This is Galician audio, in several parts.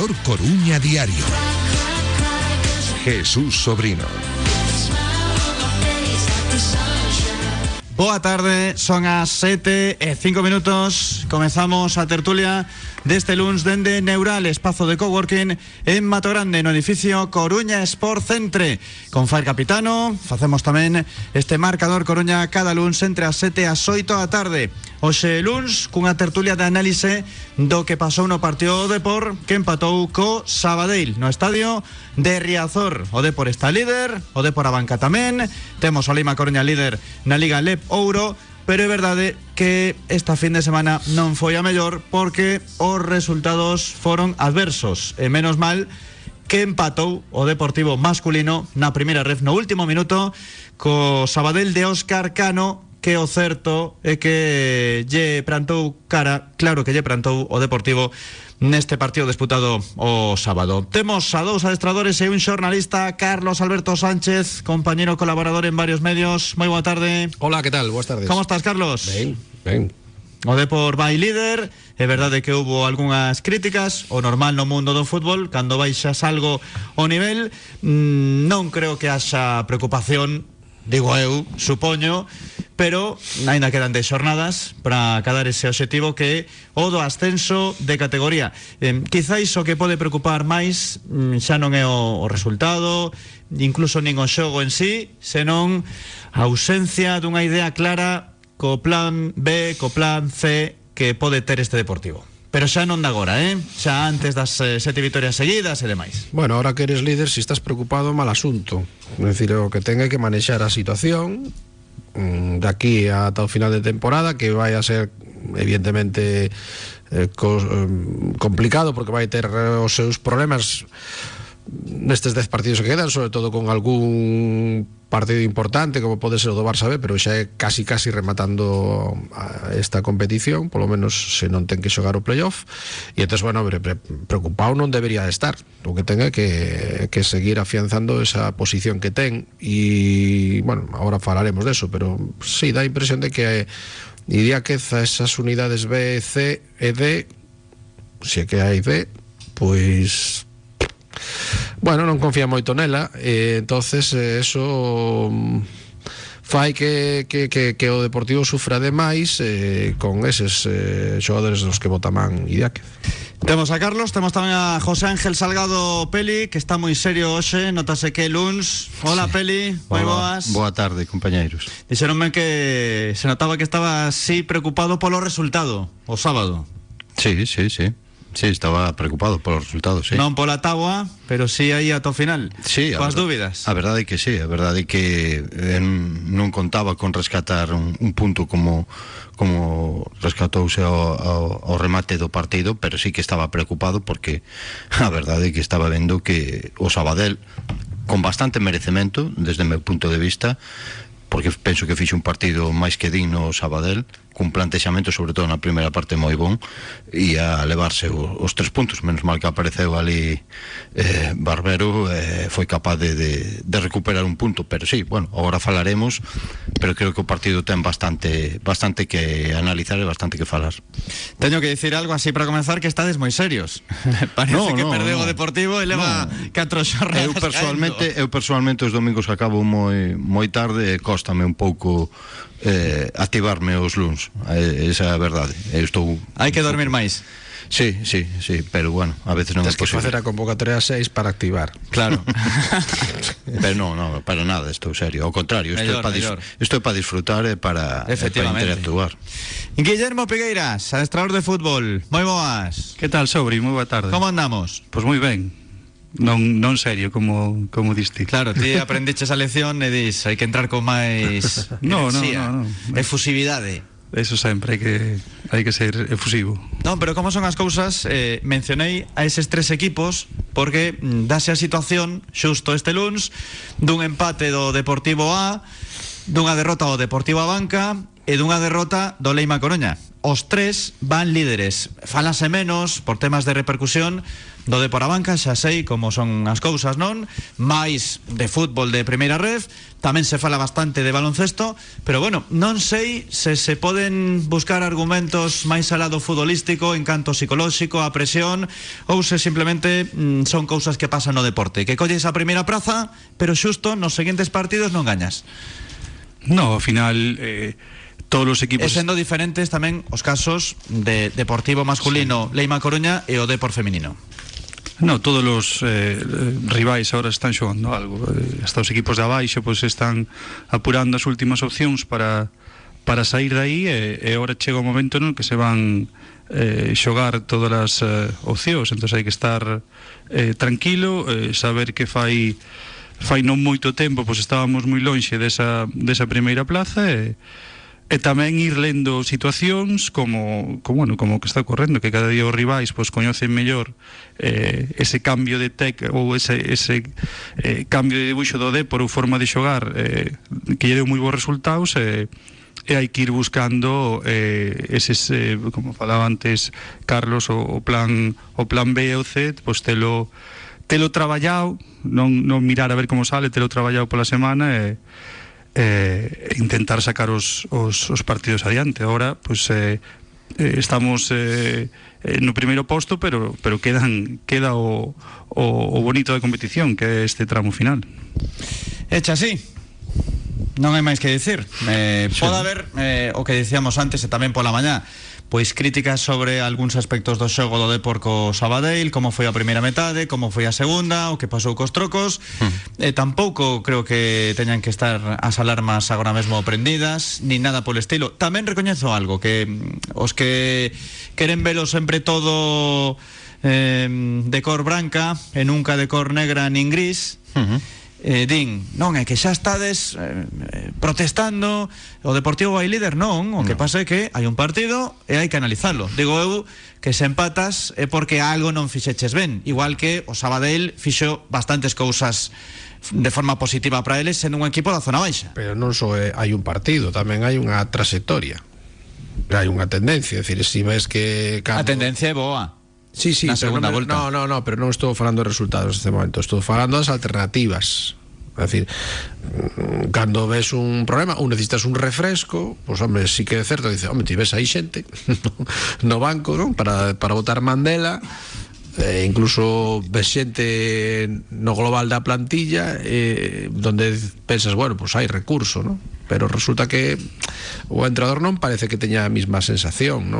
Marcador Coruña Diario. Jesús Sobrino. Boa tarde, son as 7:05. Comezamos a tertulia deste luns dende Neural, espazo de coworking en Mato Grande, no edificio Coruña Sport Centre. Con Fair Capitano facemos tamén este marcador Coruña cada luns entre as 7 e as 8 da tarde. Hoxe luns cunha tertulia de análise do que pasou no partido do Depor, que empatou co Sabadell no estadio de Riazor. O Depor está líder, o Depor a banca tamén. Temos o Lima Coruña líder na Liga LEP Ouro, pero é verdade que esta fin de semana non foi a mellor porque os resultados foron adversos, e menos mal que empatou o Deportivo masculino na primeira ref no último minuto co Sabadell de Óscar Cano, que o certo é que lle plantou cara, claro que lle plantou o Deportivo neste partido disputado o sábado. Temos a dous adestradores e un xornalista, Carlos Alberto Sánchez, compañero colaborador en varios medios. Moi boa tarde. Hola, que tal? Boas tardes. Como estás, Carlos? Ben. O Depor vai líder. É verdade que houbo algunhas críticas, o normal no mundo do fútbol, cando baixas algo o nivel. Non creo que haxa preocupación, digo eu, supoño, pero ainda quedan 10 xornadas para acadar ese obxectivo que é o do ascenso de categoría. Quizáis o que pode preocupar máis xa non é o resultado, incluso nin o xogo en sí, senón a ausencia dunha idea clara co plan B, co plan C que pode ter este Deportivo. Pero xa non da agora, xa antes das 7 vitorias seguidas e demais. Bueno, ahora que eres líder, si estás preocupado, mal asunto. É dicir, o que ten é que manexar a situación de aquí ata o final de temporada, que vai a ser evidentemente complicado, porque vai ter os seus problemas nestes 10 partidos que quedan, sobre todo con algún partido importante como pode ser o do Barça B, pero xa é casi rematando esta competición, polo menos se non ten que xogar o playoff. E entón, bueno, preocupado non debería de estar. O que ten é que seguir afianzando esa posición que ten. E, bueno, agora falaremos deso, pero sí, dá a impresión de que iría que esas unidades B, C e D, se que hai D, pois... bueno, non confía moito nela, entonces eso fai que o Deportivo sufra demais con eses xogadores dos que bota man Idiáquez. Temos a Carlos, temos tamén a José Ángel Salgado Peli, que está moi serio hoxe, notase que é luns. Hola, sí. Peli, moi boas. Boa tarde, compañeiros. Dixeronme que se notaba que estaba así preocupado polo resultado o sábado. Sí. Sí, estaba preocupado polos resultados, sí. Non pola táboa, pero sí aí ata o final. Sí, coas dúbidas. A verdade é que sí, a verdade é que non contaba con rescatar un punto como rescatouse ao remate do partido, pero sí que estaba preocupado porque a verdade é que estaba vendo que o Sabadell, con bastante merecemento desde o meu punto de vista, porque penso que fixe un partido máis que digno o Sabadell, cun plantexamento sobre todo na primeira parte moi bon, e a levarse os 3 puntos, menos mal que apareceu ali Barbero, foi capaz de recuperar un punto, pero sí, bueno, agora falaremos, pero creo que o partido ten bastante que analizar e bastante que falar. Teño que dicir algo así para comenzar, que estades moi serios. Parece que perdeu o Deportivo e leva 4 xornadas. Eu personalmente os domingos acabo moi tarde e cóstame un pouco activarme os luns, esa é a verdade. Hai que dormir máis. Sí, pero bueno, a veces non é posible. Tens que facer a convocatoria 6 para activar. Claro. Pero non, para nada, estou serio. Ao contrario, isto é para disfrutar e para interactuar. Guillermo Pigueiras, adestrador de fútbol. Moi boas. Que tal, Sobri? Moi boa tarde. Como andamos? Pois moi ben. Non serio, como diste. Claro, ti aprendiches a lección e dis, hai que entrar con máis enerxía, efusividade. Eso sempre, hai que ser efusivo. Non, pero como son as cousas, mencionei a eses 3 equipos porque dase a situación xusto este luns dun empate do Deportivo A, dunha derrota do Deportivo a Banca e dunha derrota do Lima Coruña. os tres van líderes. Fálase menos por temas de repercusión do de por a banca, xa sei como son as cousas, non? Mais de fútbol de primeira ref, tamén se fala bastante de baloncesto, pero bueno, non sei se poden buscar argumentos máis al lado futbolístico, encanto psicolóxico, a presión, ou se simplemente son cousas que pasan no deporte, que colles a primeira praza, pero xusto nos seguintes partidos non gañas. No, ao final todos os equipos... E sendo diferentes tamén os casos de Deportivo masculino, sí, Leima Coruña, e o Depor feminino. No, todos os rivais ahora están xogando algo. Hasta os equipos de abaixo pois están apurando as últimas opcións para sair de aí, e agora chega o momento no que se van xogar todas as opcións. Entón hai que estar tranquilo, saber que fai non moito tempo pois estábamos moi lonxe desa primeira plaza, e tamén ir lendo situacións como que está ocorrendo, que cada día os rivais pois coñecen mellor ese cambio de ou ese cambio de dibuixo do Depor ou forma de xogar, que lle deu moi bons resultados, e hai que ir buscando eses, como falaba antes Carlos, o plan B ou C, pois telo traballado, non mirar a ver como sale, telo traballado pola semana, intentar sacar os partidos adiante. Ahora pues estamos no primeiro posto, pero queda o bonito da competición, que é este tramo final. Hecha así, non hai máis que dicir. Pode haber o que dicíamos antes e tamén pola mañá, pois críticas sobre algúns aspectos do xogo do Depor co Sabadell, como foi a primeira metade, como foi a segunda, o que pasou cos trocos. Tampouco creo que teñan que estar as alarmas agora mesmo prendidas, ni nada polo estilo. Tamén recoñezo algo, que os que queren velo sempre todo de cor branca e nunca de cor negra nin gris, din, non, é que xa estades protestando, o Deportivo vai líder, non, o que pasa é que hai un partido e hai que analizarlo. Digo eu que se empatas é porque algo non fixeches ben, igual que o Sabadell fixo bastantes cousas de forma positiva para eles, sendo un equipo da zona baixa. Pero non só hai un partido, tamén hai unha trayectoria, hai unha tendencia, é dicir, si ves que a tendencia é boa. Sí, na segunda volta. No, pero non estou falando de resultados neste momento, estou falando das alternativas. É dicir, cando ves un problema ou necesitas un refresco, pois home, sí que é certo, dice, home, ti ves aí xente no banco, non? Para botar Mandela, incluso ves xente no global da plantilla, donde pensas, bueno, pois hai recurso, non? Pero resulta que o entrenador non parece que teña a mesma sensación,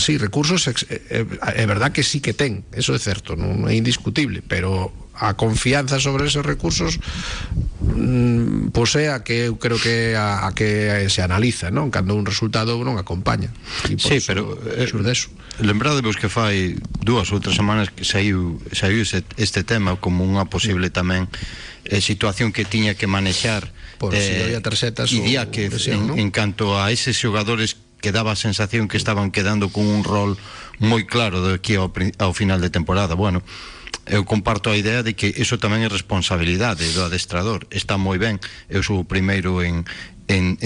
sí, recursos é verdad que sí que ten, eso é certo, non é indiscutible, pero a confianza sobre esos recursos pois é a que eu creo que a que se analiza, non? Cando un resultado non acompaña. Sí, pero lembradevos que fai 2 ou 3 semanas que saiu este tema como unha posible tamén situación que tiña que manexar por si había tarxetas e día que en canto a eses xogadores que daba a sensación que estaban quedando con un rol moi claro de aquí ao final de temporada. Bueno, eu comparto a idea de que iso tamén é responsabilidade do adestrador. Está moi ben, eu sou o primeiro en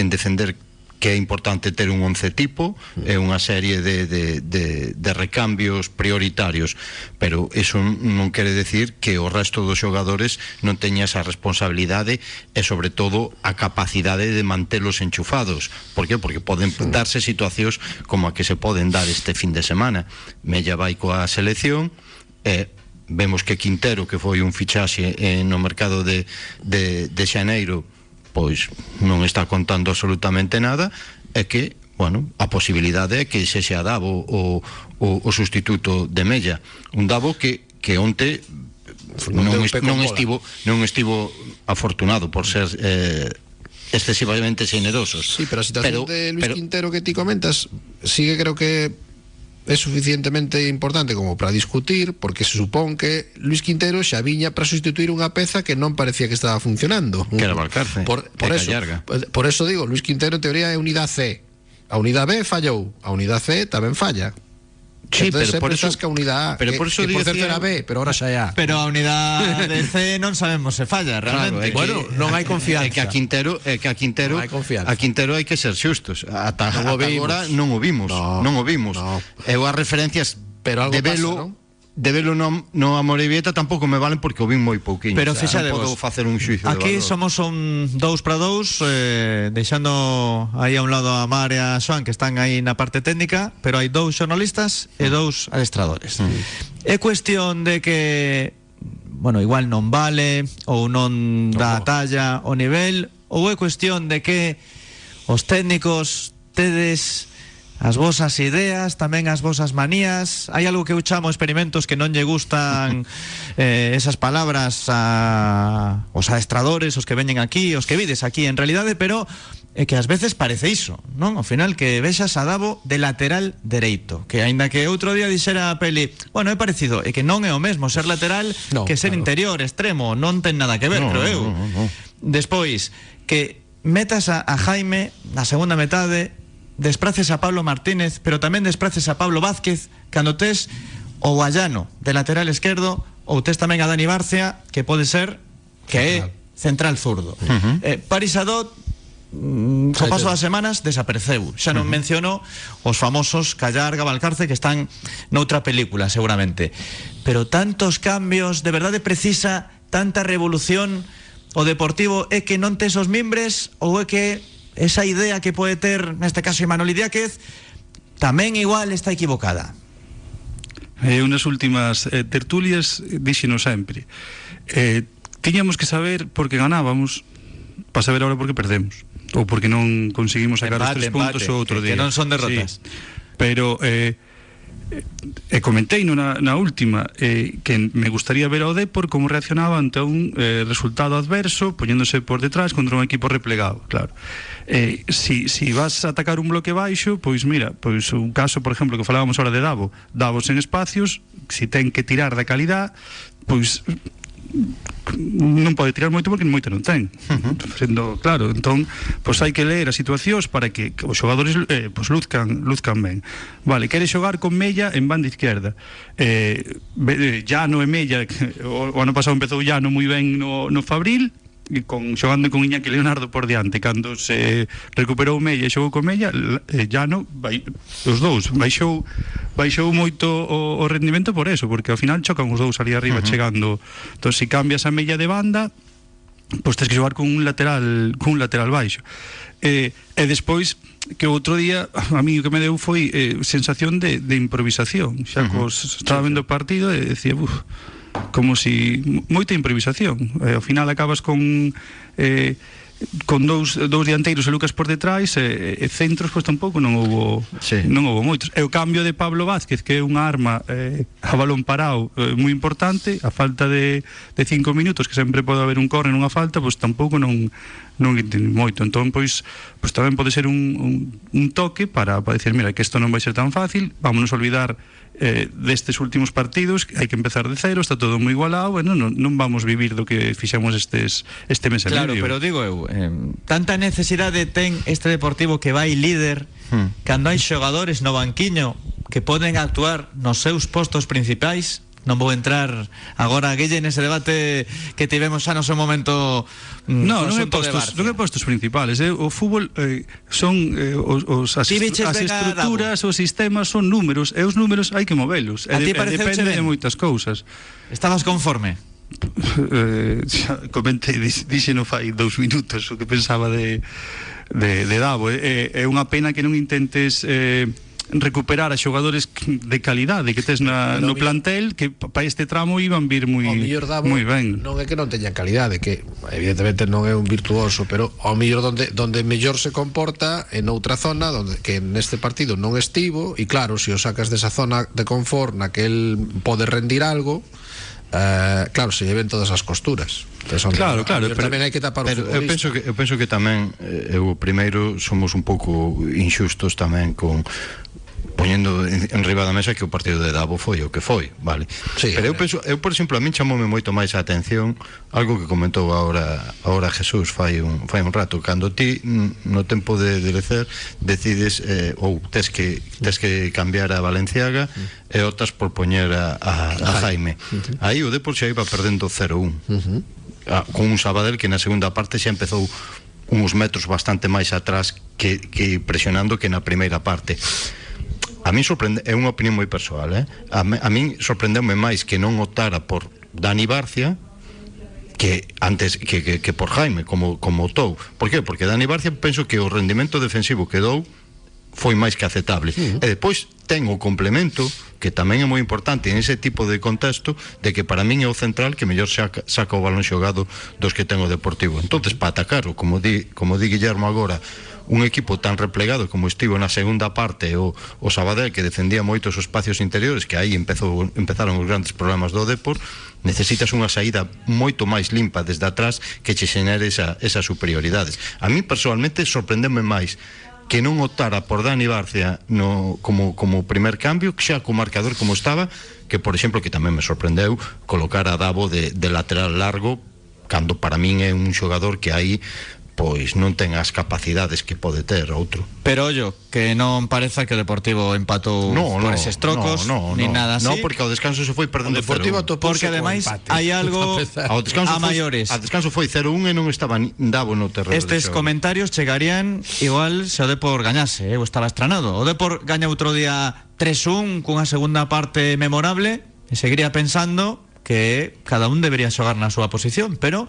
defender que é importante ter un 11 tipo e unha serie de recambios prioritarios, pero iso non quere decir que o resto dos xogadores non teña esa responsabilidade e sobre todo a capacidade de mantelos enchufados. Por que? Porque poden darse situacións como a que se poden dar este fin de semana. Mella vai coa selección e vemos que Quintero, que foi un fichaxe no mercado de xaneiro, pois non está contando absolutamente nada, é que, bueno, a posibilidade é que sexa Davo o sustituto de Mella, un Davo que onte non estivo afortunado por ser excesivamente xenerosos. Sí, pero a situación de Luis Quintero que ti comentas, sí que creo que é suficientemente importante como para discutir, porque se supón que Luis Quintero xa viña para sustituir unha peza que non parecía que estaba funcionando, que era Valcarce, por eso digo, Luis Quintero en teoría é unidade C, a unidade B fallou, a unidade C tamén falla. Sí, pero pero por por eso- eso que a unidade A, pero por eso que por certo dicía- era B, pero ahora xa é A. Pero a unidade C non sabemos se falla realmente. Bueno, non hai confianza. É que a Quintero Non hai confianza. a Quintero hai que ser xustos. Ata Non o vimos. agora non o vimos. No, Non o vimos. no. Eu as referencias Pero algo de velo, pasa, non? de velo no Amorebieta tampouco me valen porque o vin moi pouquiño. Pero O sea, fixadevos, non podo facer un xuizo de aquí valor. somos un 2-2, deixando aí a un lado a Mar e a Xoan, que están aí na parte técnica, pero hai 2 xornalistas e 2 adestradores. É cuestión de que, bueno, igual non vale ou non dá a talla o nivel, ou é cuestión de que os técnicos tedes as vosas ideas, tamén as vosas manías. Hai algo que eu chamo experimentos que non lle gustan esas palabras aos adestradores, os que veñen aquí, os que vides aquí en realidade, pero é que ás veces parece iso, non? Ao final que vexas a Davo de lateral dereito, que aínda que outro día dixera a Peli, bueno, é parecido, é que non é o mesmo ser lateral No, que ser claro. interior, extremo, non ten nada que ver, No, creo eu. no. Despois, que metas a Jaime na segunda metade, despraces a Pablo Martínez, pero tamén despraces a Pablo Vázquez, cando tes o Guayano de lateral esquerdo, ou tes tamén a Dani Barcia, que pode ser que é central zurdo. Paris Adot, co paso das semanas desapareceu. Xa non menciono os famosos Callar, Gavalcarce, que están noutra película seguramente. Pero tantos cambios, de verdade precisa tanta revolución o Deportivo? É que non tes os mimbres, ou é que esa idea que pode ter neste caso Imanol Idiáquez tamén igual está equivocada? Unas últimas tertulias díxenos sempre, tiñamos que saber por que ganábamos para saber ahora por que perdemos, ou porque non conseguimos sacar os 3 puntos o outro día, que non son derrotas. Sí. Pero comentei na última que me gustaría ver ao Depor como reaccionaba ante un resultado adverso, poñéndose por detrás contra un equipo replegado, claro. Si vas a atacar un bloque baixo, pois mira, pois un caso, por exemplo, que falábamos ahora de Davos en espacios, si ten que tirar da calidad, pois non pode tirar moito porque moito non ten. Sendo claro, entón pois hai que ler as situacións para que os xogadores pois luzcan ben. Vale, quere xogar con Mella en banda izquierda. Llano e Mella, o ano pasado empezou Llano moi ben no Fabril, e xogando con Iñaki Leonardo por diante. Cando se recuperou Mella e xogou con Mella, Llano os dous baixou moito o rendimento por eso, porque ao final chocan os dous ali arriba chegando. Entón, se cambias a Mella de banda, pois tens que xogar con un lateral baixo. E despois, que outro día a mí o que me deu foi sensación de improvisación. Xa estaba vendo o partido e decía, como si moita improvisación. Ao final acabas con dous dianteiros e Lucas por detrás, e centros pois tampouco non houbo moitos. E o cambio de Pablo Vázquez, que é unha arma a balón parado moi importante, a falta de 5 minutos, que sempre pode haber un córner nunha falta, pois tampouco non entendi moito. Entón pois tamén pode ser un toque para dicir, mira, que isto non vai ser tan fácil, vámonos a olvidar destes últimos partidos, hai que empezar de cero, está todo moi igualado, non vamos vivir do que fixemos este mes e claro, medio. pero digo eu, tanta necesidade ten este Deportivo que vai líder cando hai xogadores no banquiño que poden actuar nos seus postos principais. Non vou entrar agora, Guille, nese debate que tivemos xa no seu momento. Non é postos principales. O fútbol son as estruturas, os sistemas son números, e os números hai que movelos. Depende de moitas cousas. Estabas conforme? Comentei, dixeno fai 2 minutos o que pensaba de Davo. É unha pena que non intentes recuperar a xogadores de calidade que tes no plantel, que para este tramo iban vir moi ben. Non é que non teñan calidade, que evidentemente non é un virtuoso, pero ao mellor donde mellor se comporta en outra zona, donde que neste partido non estivo, e claro, se o sacas desa zona de confort na que el pode rendir algo, claro, se lleven todas as costuras. Claro, pero tamén hai que tapar o futbolista. Eu penso que tamén eu primeiro somos un pouco inxustos tamén con poñendo en riba da mesa que o partido de Davo foi o que foi, vale? Sí, pero eu por exemplo, a min chamoume moito máis a atención algo que comentou agora Jesús fai un rato, cando ti no tempo de lecer decides ou tes que cambiar a Valenciaga e optas por poñer a Jaime. Aí o Depor xa iba perdendo 0-1 con un Sabadell que na segunda parte xa empezou uns metros bastante máis atrás que presionando que na primeira parte. A min sorprende, é unha opinión moi persoal, a min sorprendeume máis que non optara por Dani Barcia que antes que por Jaime como optou. Por qué? Porque Dani Barcia penso que o rendimento defensivo que dou foi máis que aceptable. E depois ten o complemento que tamén é moi importante en ese tipo de contexto de que para min é o central que mellor saca o balón xogado dos que ten o Deportivo. Entonces, para atacar, como di Guillermo agora, un equipo tan replegado como estivo na segunda parte o Sabadell, que defendía moito os espacios interiores, que aí empezaron os grandes problemas do Depor, necesitas unha saída moito máis limpa desde atrás que che xenere esas superioridades. A mí personalmente sorprendeme máis que non optara por Dani Barcia como primer cambio, que xa co marcador como estaba, que por exemplo, que tamén me sorprendeu, colocar a Davo de lateral largo, cando para min é un xogador que aí pois non ten as capacidades que pode ter outro. Pero ollo, que non pareza que o Deportivo empatou por eses trocos, nin nada así. No, porque ao descanso se foi perdendo 0-1. Porque ademais hai algo a maiores. Ao descanso foi 0-1 e non estaba Davo no terreno. Estes comentarios chegarían igual se o Depor gañase, eu estaba estranado. O Depor gaña outro día 3-1 cunha segunda parte memorable e seguiría pensando que cada un debería xogar na súa posición, pero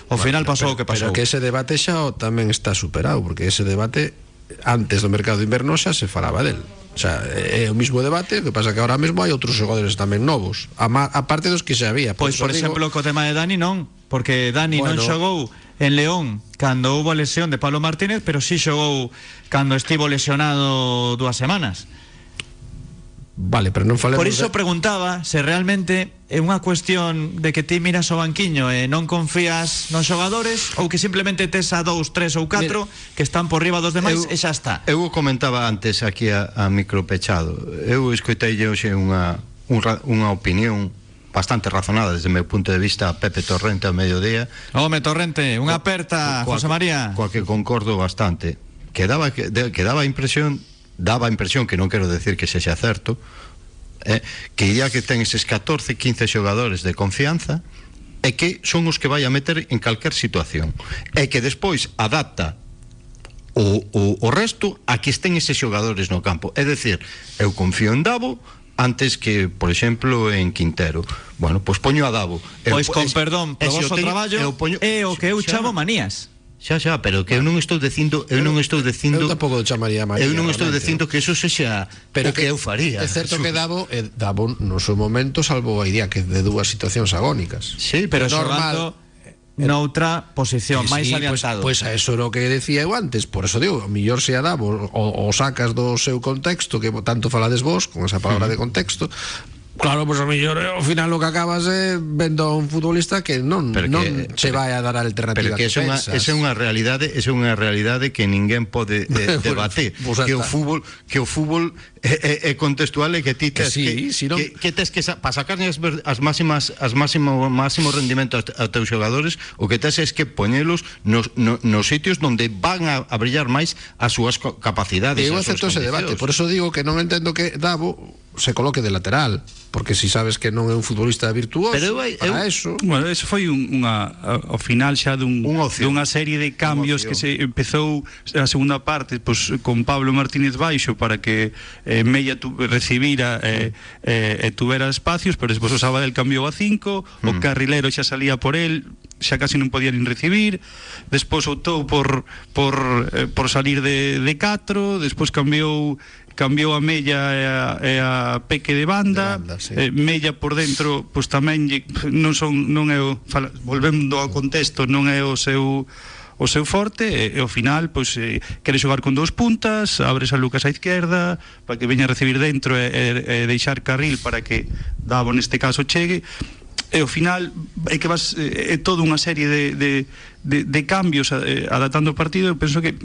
ao final pasou o que pasou. Pero que ese debate xa tamén está superado, porque ese debate antes do mercado de inverno xa se falaba del. O sea, é o mismo debate, o que pasa que ahora mesmo hai outros xogadores tamén novos, aparte dos que xa había. Pois, por exemplo, co tema de Dani non, porque Dani non xogou en León cando houve a lesión de Pablo Martínez, pero sí xogou cando estivo lesionado 2 semanas. Vale, pero non falemos. Por iso preguntaba se realmente é unha cuestión de que ti miras o banquiño e non confías nos xogadores, ou que simplemente tes a 2, 3 ou 4 que están por riba dos demais e xa está. Eu comentaba antes aquí a micro pechado. Eu escoitei hoxe unha opinión bastante razonada desde o meu punto de vista a Pepe Torrente ao mediodía. Home, Torrente, unha aperta, José María. Coa que concordo bastante. Que daba a impresión, que non quero decir que sexa certo, que ya que ten eses 14, 15 xogadores de confianza e que son os que vai a meter en calquer situación e que despois adapta o resto a que estén eses xogadores no campo. É dicir, eu confío en Davo antes que, por exemplo, en Quintero. Bueno, pois poño a Davo. Pois con perdón, probos o traballo é o que eu chamo manías. Xa, pero que eu non estou dicindo, eu tampouco chamaría María. Eu non estou dicindo que eso sexa o que eu faría. É certo que Davo no seu momento salvou a idea que de dúas situacións agónicas. Sí, pero xogando noutra posición máis adiantado. Pois a eso era o que decía eu antes. Por eso digo, o mellor se a Davo o sacas do seu contexto, que tanto falades vos con esa palabra de contexto. Claro, pois ao mellor ao final o que acabas é vendo a un futbolista que non se vai a dar a alternativa. Pero que esa é unha realidade que ninguén pode debater. Que o fútbol é contextual e que ti tes que tes que para sacar as máximos rendimentos a teus xogadores, o que tes é que poñelos nos sitios onde van a brillar máis as súas capacidades. Eu acepto ese debate, por eso digo que non entendo que Davo se coloque de lateral, porque si sabes que non é un futbolista virtuoso, para eso. Bueno, eso foi ao final xa dunha serie de cambios que se empezou a segunda parte, pois con Pablo Martínez baixo para que Mella recibira e tuvera espacios, pero despois o Sabadell cambiou a 5, o carrilero xa salía por el, xa casi non podía nin recibir, despois optou por salir de 4, despois cambiou a Mella e a Peque de banda, sí. Mella por dentro pois tamén non é volvendo ao contexto, non é o seu forte, e ao final pois quere xogar con 2 puntas, abres a Lucas á izquierda para que veña a recibir dentro e deixar carril para que Davo neste caso chegue. E ao final é que é toda unha serie de de cambios adaptando o partido. Eu penso que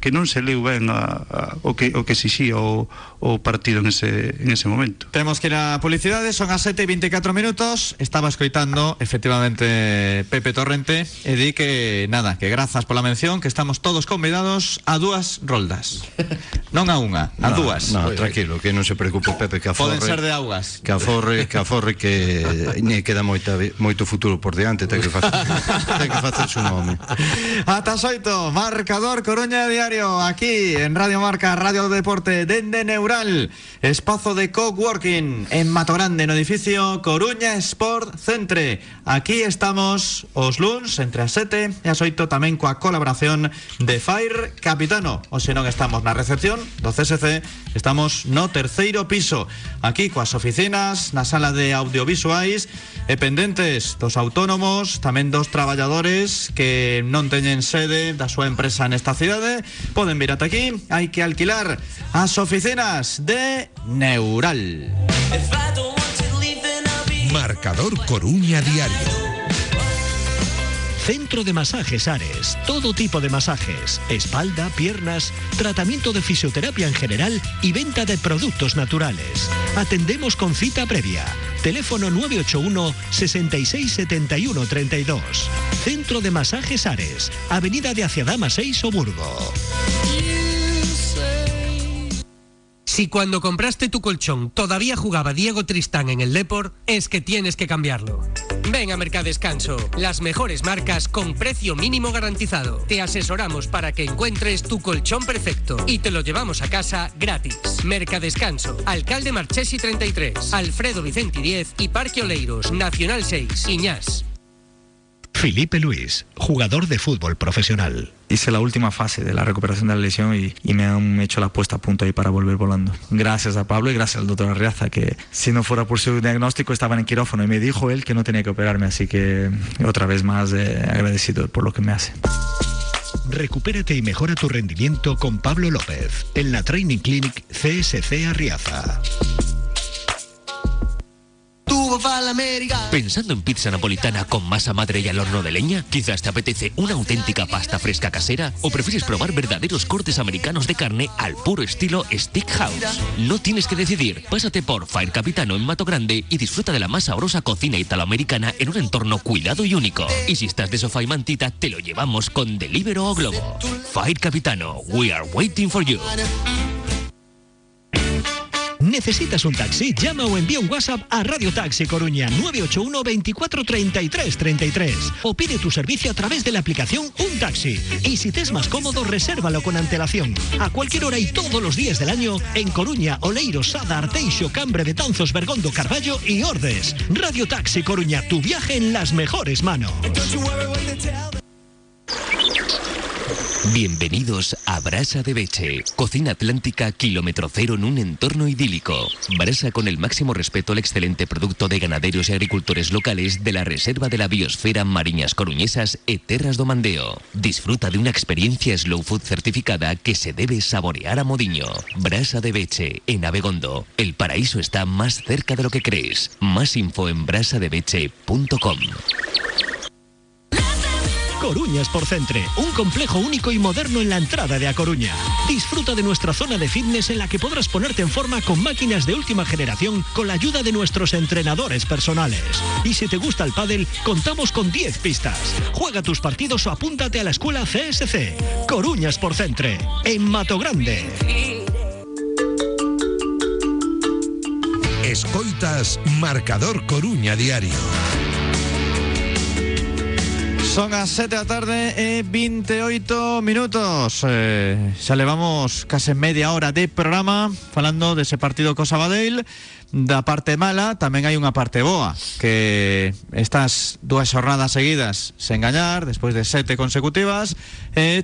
non se leu ben o que exixía o partido en ese momento. Temos que ir a publicidade, son as 7:24 minutos. Estaba escoitando efectivamente Pepe Torrente e di que nada, que grazas pola mención, que estamos todos convidados a 2 roldas. Non a unha, a 2. No, tranquilo, que non se preocupe Pepe, que aforre. Poden ser de augas. Que aforre que lle queda moito futuro por diante, ten que facer su nome. Ata 8, marcador Coruña Diario, aquí en Radio Marca, Radio Deporte, dende Neural, espazo de coworking en Matogrande, no edificio Coruña Sport Centre. Aquí estamos os luns entre as 7 e as 8, tamén coa colaboración de Fire Capitano. O se non estamos na recepción do CSC, estamos no 3º piso, aquí coas oficinas, na sala de audiovisuais e pendentes dos autónomos, tamén dos traballadores que non teñen sede da súa empresa nesta cidade. Poden vir ata aquí, hai que alquilar as oficinas de Neural. Marcador Coruña Diario. Centro de Masajes Ares, todo tipo de masajes, espalda, piernas, tratamiento de fisioterapia en general y venta de productos naturales. Atendemos con cita previa. Teléfono 981 66 71 32. Centro de Masajes Ares, Avenida de Aciadama 6, Oburgo. Si cuando compraste tu colchón todavía jugaba Diego Tristán en el Depor, es que tienes que cambiarlo. Ven a Mercadescanso, las mejores marcas con precio mínimo garantizado. Te asesoramos para que encuentres tu colchón perfecto y te lo llevamos a casa gratis. Mercadescanso, Alcalde Marchesi 33, Alfredo Vicenti 10 y Parque Oleiros, Nacional 6, Iñás. Filipe Luis, jugador de fútbol profesional. Hice la última fase de la recuperación de la lesión y me han hecho la puesta a punto ahí para volver volando. Gracias a Pablo y gracias al doctor Arriaza, que si no fuera por su diagnóstico estaba en el quirófano y me dijo él que no tenía que operarme, así que otra vez más agradecido por lo que me hace. Recupérate y mejora tu rendimiento con Pablo López en la Training Clinic CSC Arriaza. ¿Pensando en pizza napolitana con masa madre y al horno de leña? ¿Quizás te apetece una auténtica pasta fresca casera? ¿O prefieres probar verdaderos cortes americanos de carne al puro estilo Steakhouse? No tienes que decidir. Pásate por Fire Capitano en Mato Grande y disfruta de la más sabrosa cocina italoamericana en un entorno cuidado y único. Y si estás de sofá y mantita, te lo llevamos con Deliveroo o Globo. Fire Capitano, we are waiting for you. ¿Necesitas un taxi? Llama o envía un WhatsApp a Radio Taxi Coruña 981 24 33 33 o pide tu servicio a través de la aplicación Un Taxi. Y si te es más cómodo, resérvalo con antelación. A cualquier hora y todos los días del año en Coruña, Oleiros, Sada, Arteixo, Cambre, Betanzos, Bergondo, Carballo y Ordes. Radio Taxi Coruña, tu viaje en las mejores manos. Bienvenidos a Brasa de Beche, cocina atlántica kilómetro cero en un entorno idílico. Brasa con el máximo respeto al excelente producto de ganaderos y agricultores locales de la Reserva de la Biosfera Mariñas Coruñesas e Terras do Mandeo. Disfruta de una experiencia slow food certificada que se debe saborear a modiño. Brasa de Beche, en Abegondo. El paraíso está más cerca de lo que crees. Más info en brasadebeche.com. Coruña Sport Centre, un complejo único y moderno en la entrada de A Coruña. Disfruta de nuestra zona de fitness en la que podrás ponerte en forma con máquinas de última generación con la ayuda de nuestros entrenadores personales. Y si te gusta el pádel, contamos con 10 pistas. Juega tus partidos o apúntate a la escuela CSC. Coruña Sport Centre, en Mato Grande. Escoitas Marcador Coruña Diario. Son as 7 da tarde e 28 minutos. Xa levamos case media hora de programa falando dese partido co Sabadell. Da parte mala tamén hai unha parte boa, que estas 2 xornadas seguidas sen gañar despois de 7 consecutivas,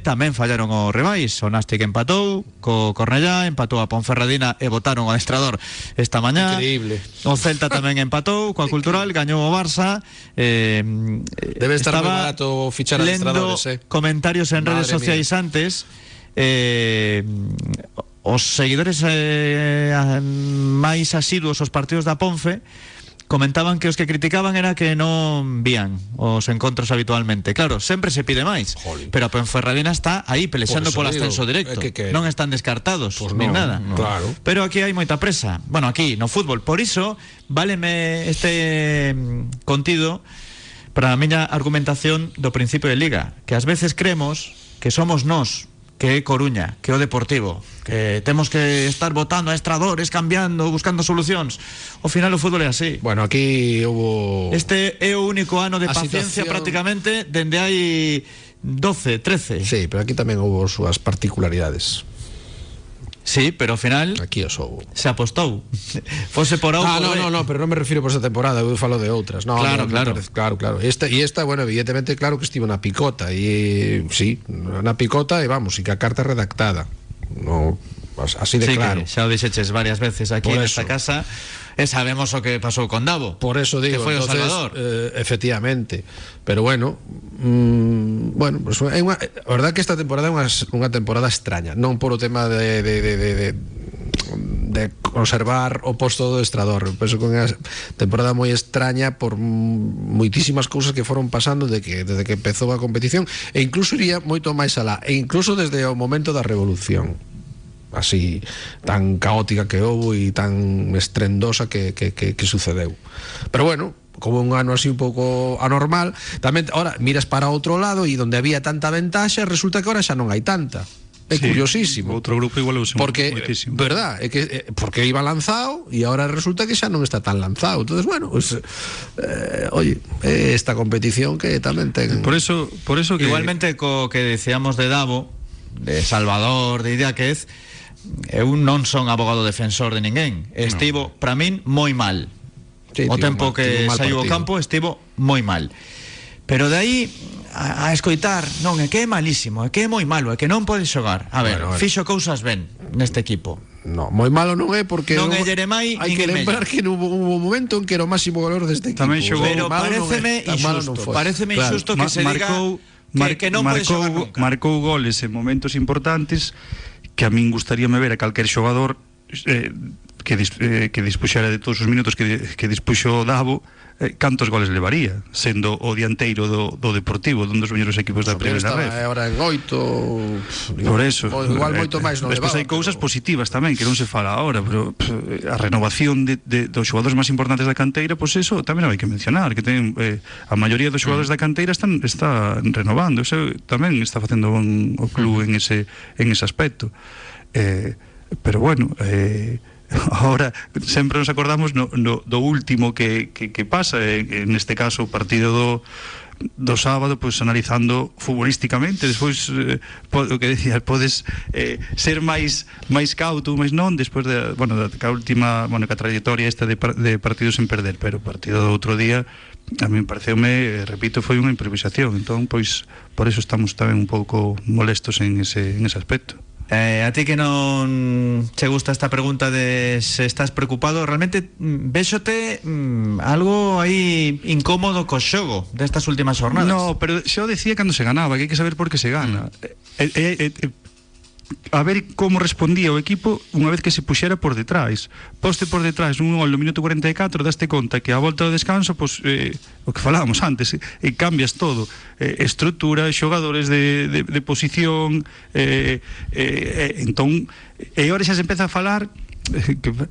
tamén fallaron os rivais. O Nástic empatou co Cornellá, empatou a Ponferradina e botaron o adestrador esta mañá. Increíble. O Celta tamén empatou coa Cultural, gañou o Barça. Debe estar moi barato fichar adestradores, comentarios en redes sociais antes. Os seguidores máis asiduos aos partidos da Ponfe comentaban que os que criticaban era que non vían os encontros habitualmente. Claro, sempre se pide máis, pero a Ponferradina está aí pelexando polo ascenso directo. Non están descartados, pues nin nada. Claro. Pero aquí hai moita presa. Bueno, aquí no fútbol. Por iso, váleme este contido para a miña argumentación do principio de Liga, que ás veces creemos que somos nós, que é Coruña, que é o Deportivo, que temos que estar votando a estradores, cambiando, buscando solucións. Ao final o fútbol é así. Bueno, aquí hubo... Este é o único ano de A paciencia situación... prácticamente dende hai 12, 13. Sí, pero aquí tamén hubo súas particularidades. Sí, pero ao final aquí os houbo. se apostou. Fose por A ou por B. No, pero non me refiro por esta temporada, eu falo de outras. No, claro. Claro. Esta, bueno, evidentemente, claro que estivo na picota e sí, na picota e vamos, e que a carta redactada. No, así de sí, claro. Xa o dixeches varias veces aquí nesta casa. E sabemos o que pasou con Davo. Por eso digo, que foi entonces, o Salvador. Efectivamente. Pero bueno, pues é unha, a verdad que esta temporada é unha temporada extraña, non por o tema de conservar o posto do estrador. Penso que é unha temporada moi extraña por moitísimas cousas que foron pasando desde que empezou a competición, e incluso iría moito máis alá, e incluso desde o momento da revolución, así tan caótica que houve e tan estrendosa que sucedeu. Pero bueno, como un ano así un pouco anormal, tamén ahora miras para outro lado e donde había tanta ventaxa resulta que ahora xa non hai tanta. É curiosísimo. Outro grupo igual porque, verdad, é que porque iba lanzado e ahora resulta que xa non está tan lanzado. Entonces, bueno, pues, oye, esta competición que tamén ten... Por eso que... Igualmente co que decíamos de Davo, de Salvador, de Idiáquez, eu non son abogado defensor de ninguén. Estivo, para min, moi mal. Sí, o tempo que saiu ao campo estivo moi mal. Pero de aí a escoitar, non, é que é malísimo, é que é moi malo, é que non pode xogar. A ver, fixo cousas ben neste equipo. No, moi malo non é porque non é Jeremai, hai que lembrar que hubo un momento en que era o máximo valor deste equipo. Tamén xogou, pero pareceme injusto que se diga que non pode xogar nunca. Marcou goles en momentos importantes que a min gustaríame ver a calquer xogador que dispuxera de todos os minutos que dispuxo Davo, cantos goles levaría, sendo o dianteiro do Deportivo, dun dos mellores equipos da primeira vez. Agora en 8, por eso, igual moito máis non levaba. Despois hai cousas positivas tamén que non se fala agora, pero a renovación dos xogadores máis importantes da canteira, pois eso tamén hai que mencionar, que ten a maioría dos xogadores da canteira está renovando, eso tamén está facendo bon o club en ese aspecto. Pero bueno, ahora sempre nos acordamos do último que pasa, neste caso o partido do sábado, pois analizando futbolísticamente, despois o que decías, podes ser máis cauto, máis non, despois de, bueno, da última, bueno, que a trayectoria esta de partidos sen perder, pero o partido do outro día a mí pareceume, repito, foi unha improvisación, entón, pois, por eso estamos tamén un pouco molestos en ese aspecto. A ti que non che gusta esta pregunta de se estás preocupado, realmente véxote algo aí incómodo co xogo destas últimas jornadas. No, pero xo decía cando se ganaba, que hai que saber por que se gana. A ver como respondía o equipo unha vez que se puxera por detrás. Poste por detrás un gol no minuto 44, daste conta que a volta do descanso, pois, o que falábamos antes, cambias todo, estrutura, xogadores de posición, entón, e agora xa se empeza a falar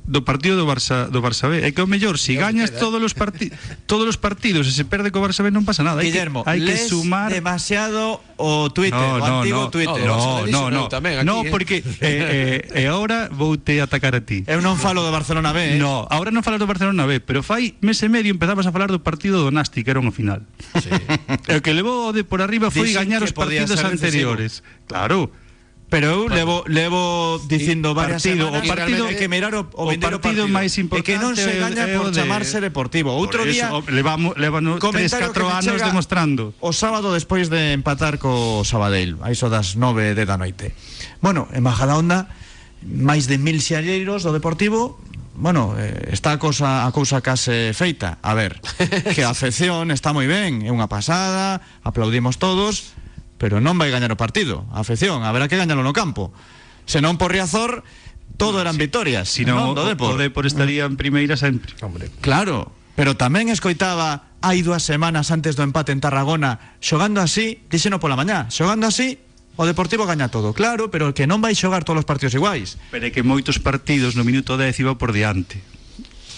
do partido do Barça B. É que o mellor, se gañas todos os partidos e se perde co Barça B non pasa nada. Guillermo, hai que sumar demasiado o Twitter, o antigo Twitter. No, porque agora voute atacar a ti. Eu non falo do Barcelona B. No, agora non falas do Barcelona B, pero fai mes e medio empezabas a falar do partido do Nasti, que era unha final. Sí. O que levou de por arriba foi gañar os partidos anteriores. Claro. Pero eu levo dicindo varias semanas que mirar o partido máis importante e que non se gaña por chamarse Deportivo. Outro día levamos 3-4 anos demostrando. O sábado despois de empatar co Sabadell, a iso das 9 da noite. Bueno, en Majadahonda, máis de 1000 xalleiros do Deportivo. Bueno, está a cousa case feita. A ver, que a afección está moi ben, é unha pasada, aplaudimos todos, pero non vai gañar o partido. A afección, haberá que gañalo no campo. Se non por Riazor, todo eran vitorias. Si non, o Depor estaría en primeira sempre. Claro, Pero tamén escoitaba hai 2 semanas antes do empate en Tarragona, xogando así, díxeno pola mañá, xogando así o Deportivo gaña todo, claro, pero que non vai xogar todos os partidos iguais. Pero é que moitos partidos no minuto 10 iba por diante,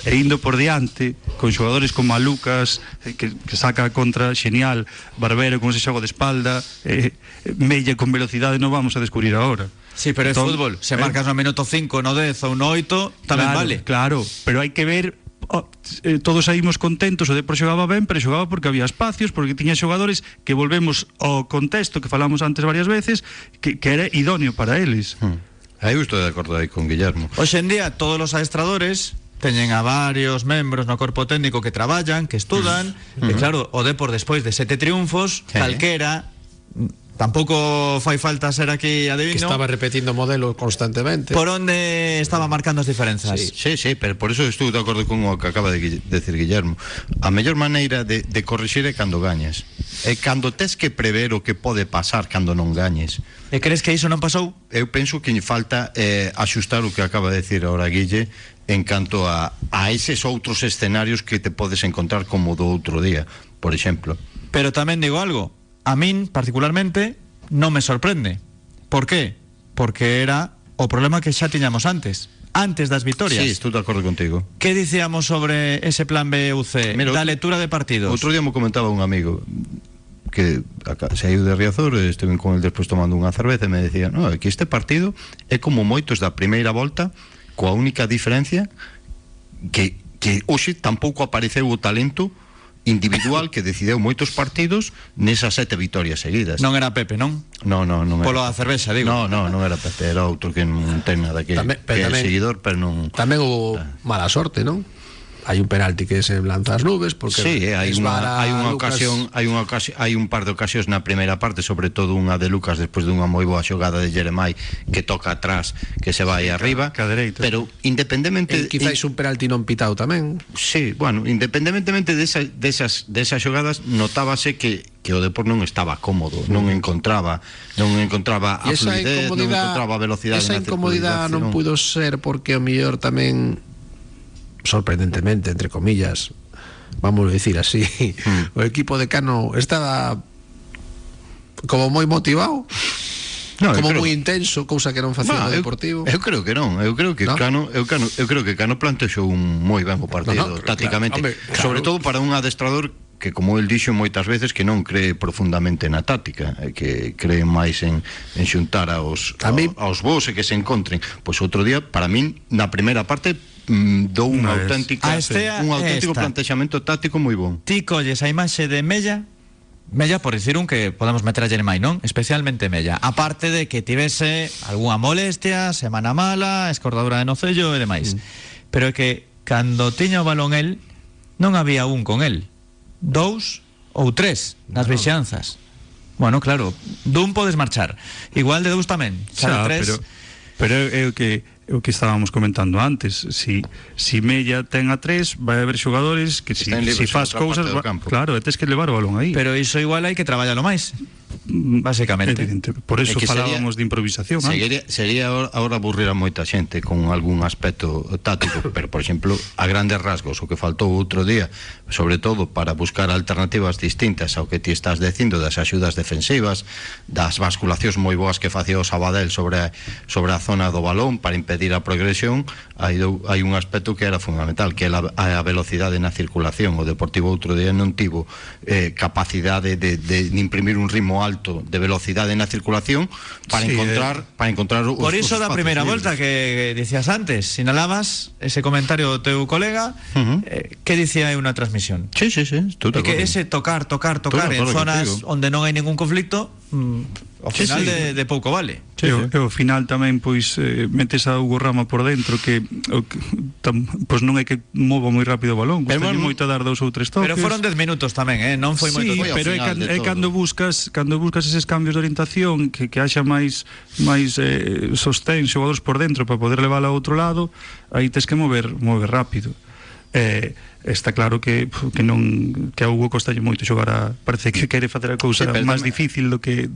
e indo por diante con xogadores como a Lucas que saca contra xenial, Barbero con ese xogo de espalda, Mella con velocidade, non vamos a descubrir agora. Sí, pero entón, é fútbol, se marcas no minuto 5, no 10 ou no 8 tamén claro, vale. Claro, pero hai que ver. Todos saímos contentos, o Depor xogaba ben, pero xogaba porque había espacios, porque tiña xogadores que volvemos ao contexto que falamos antes varias veces, que era idóneo para eles. Aí estou de acordo aí con Guillermo. Hoxe en día todos os adestradores teñen a varios membros no corpo técnico que traballan, que estudan, e claro, o Depor despois de 7 triunfos, calquera, tampouco fai falta ser aquí adivino, que estaba repetindo modelo constantemente, por onde estaba marcando as diferenzas. Sí, pero por eso estou de acordo con o que acaba de decir Guillermo. A mellor maneira de corrixir é cando gañes, é cando tes que prever o que pode pasar cando non gañes. E crees que iso non pasou? Eu penso que falta axustar o que acaba de decir ahora Guille en canto a eses outros escenarios que te podes encontrar como do outro día, por exemplo. Pero tamén digo algo, a min particularmente non me sorprende. Por qué? Porque era o problema que xa tiñamos antes das vitorias. Sí, estou de acordo contigo. Que dicíamos sobre ese plan B u C? Mira, da lectura de partidos. Outro día me comentaba un amigo que saiu de Riazor, estuve con el despois tomando unha cerveza e me decía, no, que este partido é como moitos da primeira volta, coa única diferencia que hoxe tampouco apareceu o talento individual que decideu moitos partidos nesas 7 vitorias seguidas. Non era Pepe, non? Non era. Polo da cervexa, digo. Non era Pepe, era outro que non ten nada que é seguidor, pero non. Tamén hubo mala sorte, non? Hai un penalti que se lanza as nubes porque sí, hai un par de ocasións na primeira parte, sobre todo unha de Lucas despois dunha moi boa xogada de Jeremai que toca atrás, que se vai arriba, pero independentemente quizáis un penalti non pitado tamén. Sí, bueno, independentemente desas xogadas notábase que o Depor non estaba cómodo, non encontraba a fluidez, non encontraba a velocidade. Esa incomodidade non puido ser porque o mellor tamén, sorprendentemente, entre comillas, vamos a decir así, o equipo de Cano estaba como moi motivado, como moi intenso, cousa que non facía o Deportivo. Eu creo que non, eu creo que Cano plantexou un moi ben o partido tácticamente, sobre todo para un adestrador que, como el dixo moitas veces, que non cree profundamente na táctica, que cree máis en xuntar aos vos e que se encontren. Pois outro día, para min, na primeira parte dou un auténtico plantexamento táctico moi bon. Ti colles a imaxe de Mella, por dicir un que podemos meter a Jeremai, non? Especialmente Mella, aparte de que tivese algunha molestia, semana mala, escordadura de nocello e demais. Pero é que cando tiña o balón el, non había un con el, 2 ou 3 nas vexanzas. Bueno, claro, dun podes marchar, igual de 2 tamén, xa, pero é o que estábamos comentando antes. Si Mella ten a 3, vai haber xogadores que si faz cousas, claro, tes que levar o balón aí. Pero iso igual hai que traballalo máis, basicamente. Por eso falábamos de improvisación. Sería ahora aburrir a moita xente con algún aspecto táctico, pero por exemplo, a grandes rasgos, o que faltou outro día, sobre todo para buscar alternativas distintas ao que ti estás dicindo das axudas defensivas, das basculacións moi boas que facía o Sabadell sobre a zona do balón para impedir a progresión. Hai un aspecto que era fundamental, que é a velocidade na circulación. O Deportivo outro día non tivo capacidade de imprimir un ritmo alto de velocidade na circulación para encontrar os por iso da primeira volta que dicías antes, sinalabas ese comentario do teu colega, que dicía aí unha transmisión. Sí, que ese tocar en zonas onde non hai ningún conflicto, ao final de pouco vale. Ao final tamén pois metes a Hugo Rama por dentro, que pois non é que mova moi rápido o balón, gustalle moito dar 2 ou 3 toques. Pero foron 10 minutos tamén, non foi moito. Sí, pero é cando buscas eses cambios de orientación, que haxa máis sostén, xogadores por dentro para poder levar a outro lado, aí tes que mover rápido. Está claro que a Hugo costalle moito xogar parece que quere facer a cousa máis difícil do que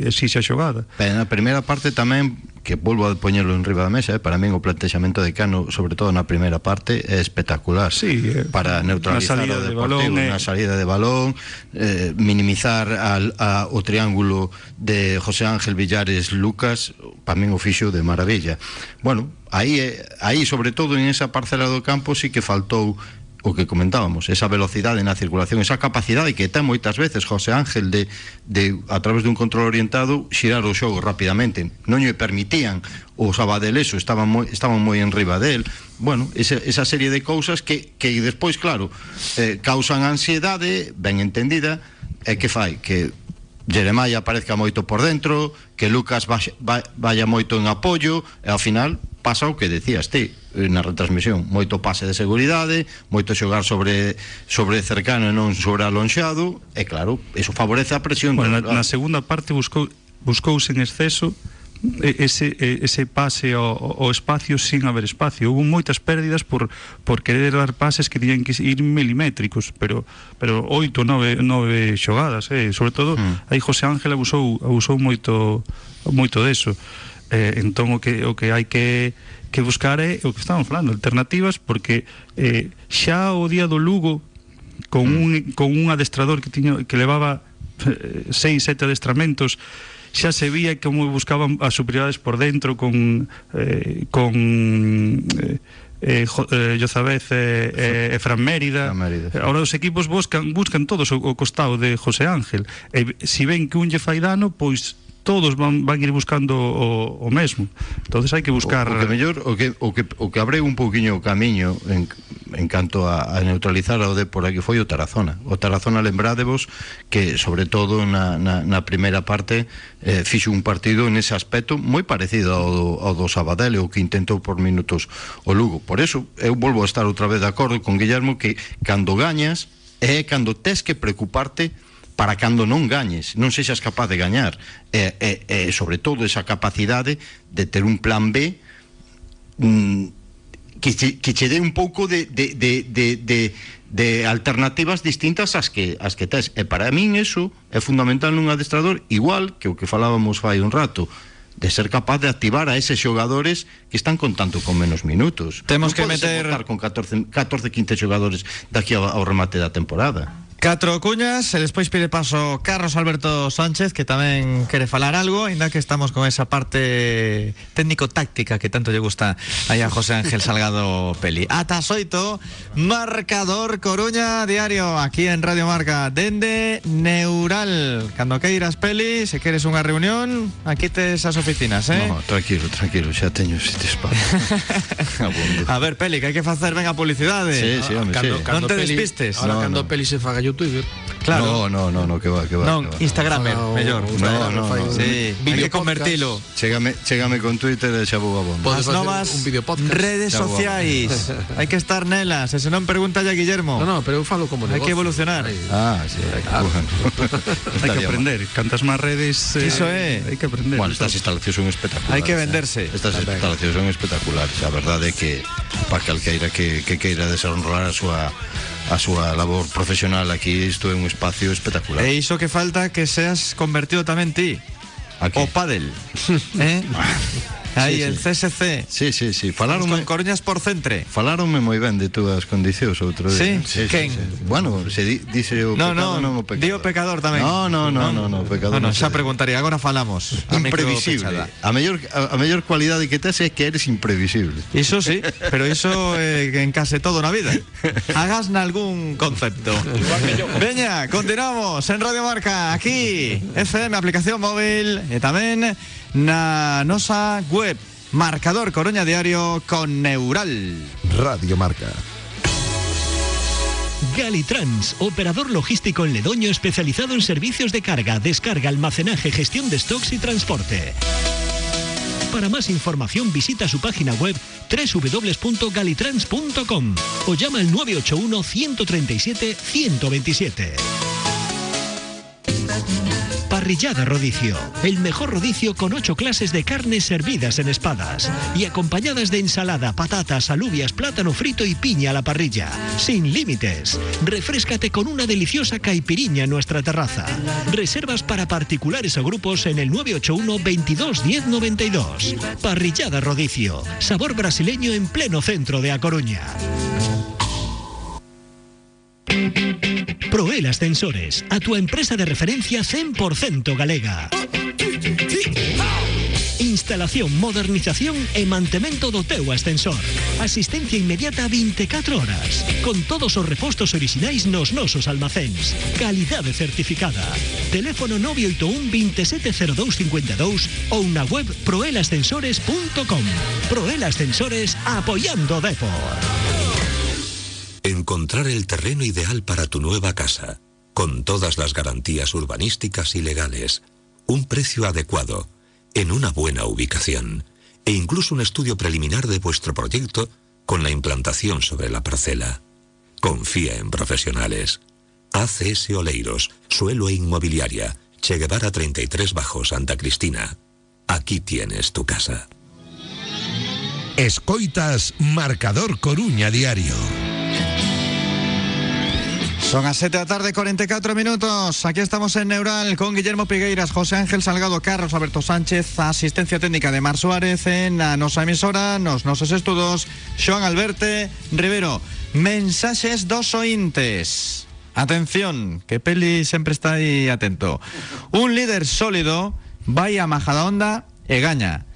exixe a xogada. Pero na primeira parte tamén que volvo a poñerlo en riba da mesa, para min o plantexamento de Cano, sobre todo na primeira parte, é espectacular. Sí, para neutralizar o Deportivo, na salida de balón, minimizar o triángulo de José Ángel, Villares, Lucas, para min o fixo de maravilla. Bueno, aí sobre todo en esa parcela do campo sí que faltou o que comentábamos, esa velocidade na circulación, esa capacidade que ten moitas veces José Ángel de a través dun control orientado xirar o xogo rapidamente. Non lle permitían o Sabadeleso, estaban moi en riba del. Bueno, esa serie de cousas que despois, claro, causan ansiedade ben entendida, e que fai que Jeremiah aparezca moito por dentro, que Lucas vaya moito en apoio, e ao final pasa o que decías ti na retransmisión, moito pase de seguridade, moito xogar sobre cercano e non sobre alonxado, e claro, eso favorece a presión. Bueno, na segunda parte buscouse en exceso ese pase ao espacio sin haber espacio. Hubo moitas pérdidas por querer dar pases que tiñan que ir milimétricos, pero 8 ou 9 xogadas, sobre todo aí José Ángel abusou moito deso. Entón o que hai que buscar é o que estamos falando, alternativas, porque xa o día do Lugo con un adestrador que levaba 6-7 adestramentos, xa se vía como buscaban as superioridades por dentro con Jozabez e Fran Mérida. Ahora os equipos buscan todos o costado de José Ángel, e se ven que un lle fai dano, pois todos van ir buscando o mesmo. Entonces hai que buscar o que mellor, o que abre un pouquiño o camiño en canto a neutralizar o Depor que foi o Tarazona. O Tarazona, lembrádevos que sobre todo na primeira parte fixo un partido nese aspecto moi parecido ao do Sabadell, o que intentou por minutos o Lugo. Por eso eu volvo a estar outra vez de acordo con Guillermo que cando gañas é cando tes que preocuparte para cando non gañes, non sexas capaz de gañar, e sobre todo esa capacidade de ter un plan B que che dé un pouco de alternativas distintas ás que tes, e para min eso é fundamental nun adestrador, igual que o que falábamos fai un rato, de ser capaz de activar a eses xogadores que están contando con menos minutos. Temos que meter con 14-15 xogadores daqui ao remate da temporada. 4 cuñas, e despois pide paso Carlos Alberto Sánchez, que tamén quere falar algo, ainda que estamos con esa parte técnico-táctica que tanto lle gusta aí a José Ángel Salgado Peli. Ata 8, Marcador Coruña Diario, aquí en Radio Marca, dende Neural. Cando queiras, Peli, se queres unha reunión, aquí tes as oficinas, No, tranquilo, xa teño sitios para. A ver, Peli, que hai que facer ben a publicidade. Sí, home, non te despistes. Ahora cando Peli se faga youtuber. Claro. No, que va. Non, Instagramer, mellor. No. Sí, hai que convertilo. Chégame con Twitter e xa vou a bomba. As novas redes sociais. Hai que estar nelas, e se non pregúntalle a Guillermo. No, pero eu falo como negocio. Hai que evolucionar. Sí, hai que aprender. Cantas máis redes, iso é. Hai que aprender. Bueno, estas instalacións son espectaculares. Hai que venderse. Estas instalacións son espectaculares. A verdade é que para calqueira que queira desarrollar a súa labor profesional aquí, isto é un espacio espectacular. E iso que falta que seas convertido tamén ti. O pádel. Aí, el CSC. Sí. Con Coruña Sport Centre. Falaronme moi ben de túas condicións outro día. Sí? Quen? Bueno, se dice o pecado, non o pecador. Di o pecador tamén. No, pecador. Bueno, xa preguntaría, agora falamos. Imprevisible. A mellor cualidade que tes é que eres imprevisible. Iso sí, pero iso en case todo na vida. Hagas nalgún concepto. Veña, continuamos en Radio Marca, aquí, FM, aplicación móvil, e tamén na nosa web, Marcador Coruña Diario con Neural. Radio Marca. Galitrans, operador logístico en Ledoño especializado en servicios de carga, descarga, almacenaje, gestión de stocks y transporte. Para más información visita su página web www.galitrans.com o llama al 981 137 127. Parrillada Rodicio. El mejor rodicio con 8 clases de carnes servidas en espadas y acompañadas de ensalada, patatas, alubias, plátano frito y piña a la parrilla. Sin límites. Refréscate con una deliciosa caipiriña en nuestra terraza. Reservas para particulares o grupos en el 981 22 10 92. Parrillada Rodicio. Sabor brasileño en pleno centro de A Coruña. Proel Ascensores, a tu empresa de referencia 100% galega. Instalación, modernización e mantemento do teu ascensor. Asistencia inmediata 24 horas. Con todos os repostos orixinais nos nosos almacéns. Calidade certificada. Teléfono 981 270252 ou na web proelascensores.com. Proel Ascensores, apoyando Depor. Encontrar el terreno ideal para tu nueva casa, con todas las garantías urbanísticas y legales, un precio adecuado, en una buena ubicación, e incluso un estudio preliminar de vuestro proyecto con la implantación sobre la parcela. Confía en profesionales. ACS Oleiros, Suelo e Inmobiliaria, Che Guevara 33 Bajo, Santa Cristina. Aquí tienes tu casa. Escoitas Marcador Coruña Diario. Son as 7 da tarde, 44 minutos. Aquí estamos en Neural con Guillermo Pigueiras, José Ángel Salgado, Carlos Alberto Sánchez, asistencia técnica de Mar Suárez en a nosa emisora, nos nosos estudos, Xoan Alberte Rivero. Mensaxes dos ointes. Atención, que Peli sempre está aí atento. Un líder sólido vai a Majadahonda e gaña.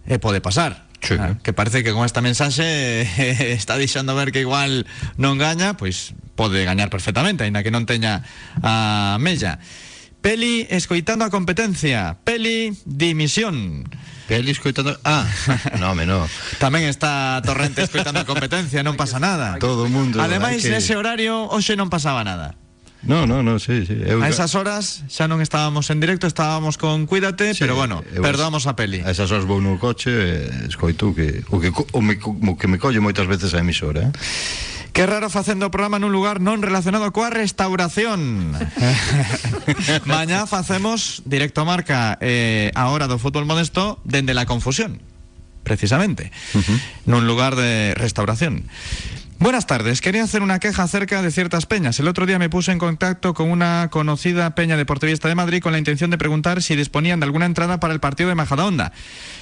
E pode pasar. Sí. Que parece que con esta mensaxe está deixando ver que igual non gaña, pois pode gañar perfectamente, aínda que non teña a mella. Peli escoitando a competencia. Peli dimisión. Peli escoitando... no. Tamén está Torrente escoitando a competencia, non pasa nada. Todo o mundo. Ademais, nese horario, hoxe non pasaba nada. No, sí. A esas horas xa non estábamos en directo, estábamos con Cuídate, sí, pero bueno, perdoamos a Peli. A esas horas vou no coche e escoito que me colle moitas veces a emisora. Que raro facendo o programa nun lugar non relacionado coa restauración. Mañá facemos directo a Marca a hora do fútbol modesto dende la confusión, precisamente, nun lugar de restauración. Buenas tardes, quería hacer una queja acerca de ciertas peñas. El otro día me puse en contacto con una conocida peña deportivista de Madrid con la intención de preguntar si disponían de alguna entrada para el partido de Majadahonda.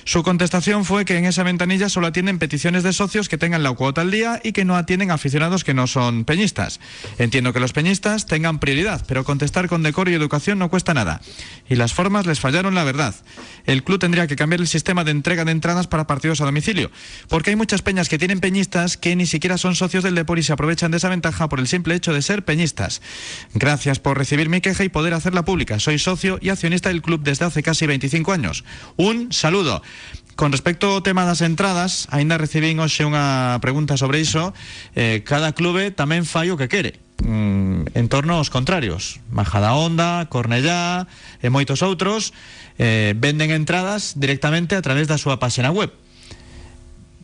Su contestación fue que en esa ventanilla solo atienden peticiones de socios que tengan la cuota al día y que no atienden aficionados que no son peñistas. Entiendo que los peñistas tengan prioridad, pero contestar con decoro y educación no cuesta nada. Y las formas les fallaron, la verdad. El club tendría que cambiar el sistema de entrega de entradas para partidos a domicilio, porque hay muchas peñas que tienen peñistas que ni siquiera son socios del Depor y se aprovechan de esa ventaja por el simple hecho de ser peñistas. Gracias por recibir mi queja y poder hacerla pública. Soy socio y accionista del club desde hace casi 25 años. Un saludo. Con respecto ao tema das entradas, aínda recibín hoxe unha pregunta sobre iso. Cada clube tamén fai o que quere en torno aos contrarios. Majadahonda, Cornellá e moitos outros venden entradas directamente a través da súa páxina web.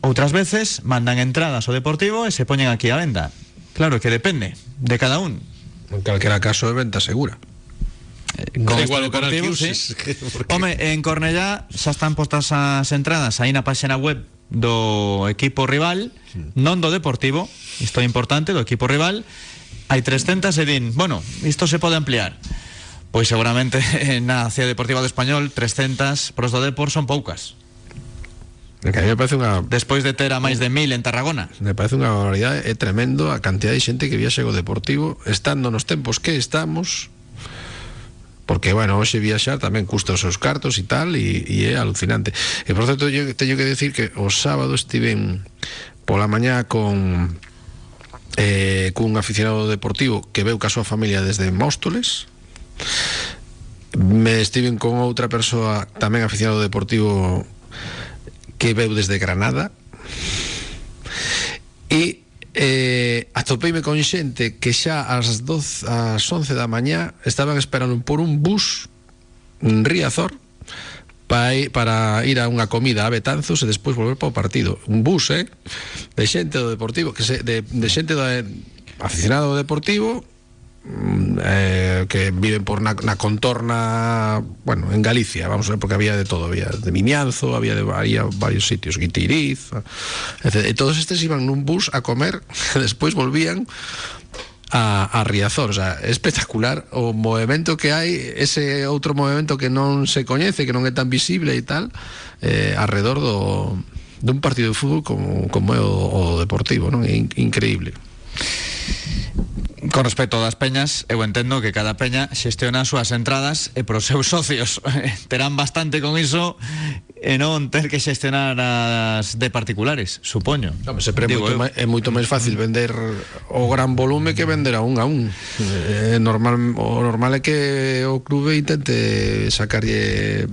Outras veces mandan entradas ao Deportivo e se poñen aquí a venda. Claro que depende de cada un. En calquera caso é venta segura. Con igual Deportivo, sí. Home, en Cornellá xa están postas as entradas aí na páxina web do equipo rival, non do Deportivo, isto é importante, do equipo rival. Hai 300 e din, bueno, isto se pode ampliar. Pois seguramente na Ciudad Deportiva do Español 300 pros do Depor son poucas. Que a mí me parece despois de ter a máis de 1000 en Tarragona. Me parece unha barbaridade, é tremendo a cantidad de xente que viaxe co Deportivo estando nos tempos que estamos. Porque, bueno, hoxe viaxar tamén custa os seus cartos e tal, e é alucinante. E, por certo, yo teño que decir que o sábado estiven pola mañá con cun aficionado deportivo que veu ca súa familia desde Móstoles. Me estiven con outra persoa tamén aficionado deportivo que veu desde Granada. E atopeime con xente que xa ás 11 da mañá estaban esperando por un bus en Riazor para ir a unha comida a Betanzos e despois volver para o partido. Un bus, de xente do Deportivo, de xente do aficionado ao Deportivo que viven por na contorna, bueno, en Galicia, vamos a ver, porque había de todo, había de Vimianzo, había varios sitios, Guitiriz, etc. E todos estes iban nun bus a comer, e despois volvían a Riazor. O sea, é espectacular o movimento que hai, ese outro movimento que non se coñece, que non é tan visible e tal, alrededor dun partido de fútbol como é o Deportivo, non? É increíble. Con respecto das peñas, eu entendo que cada peña xestiona as súas entradas e pros seus socios terán bastante con iso e non ter que xestionar as de particulares, supoño. Sempre é moito máis fácil vender o gran volume que vender a un. O normal é que o clube intente sacarlle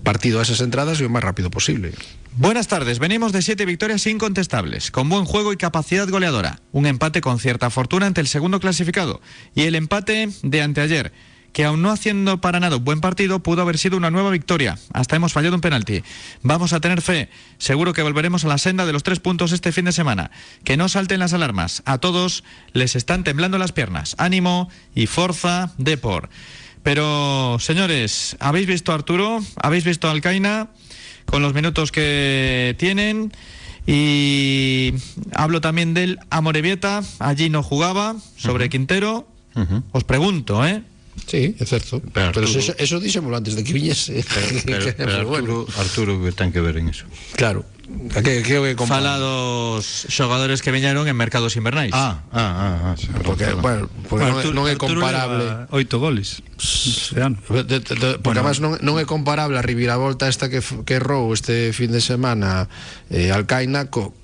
partido a esas entradas e o máis rápido posible. Buenas tardes, venimos de 7 victorias incontestables, con buen juego y capacidad goleadora. Un empate con cierta fortuna ante el segundo clasificado. Y el empate de anteayer, que aun no haciendo para nada un buen partido, pudo haber sido una nueva victoria. Hasta hemos fallado un penalti. Vamos a tener fe. Seguro que volveremos a la senda de los 3 puntos este fin de semana. Que no salten las alarmas. A todos les están temblando las piernas. Ánimo y forza Depor. Pero, señores, ¿habéis visto a Arturo? ¿Habéis visto a Alcaina? Con los minutos que tienen, y hablo también del Amorebieta, allí no jugaba, sobre Quintero. Os pregunto, Sí, é certo. Pero eso dixémolo antes de que viñese. Pero Arturo que ten que ver en eso. Claro. Fala dos xogadores que viñeron en mercados invernais. Porque non é comparable. 8 goles. Porque además non é comparable a reviravolta esta que errou este fin de semana Alcaina co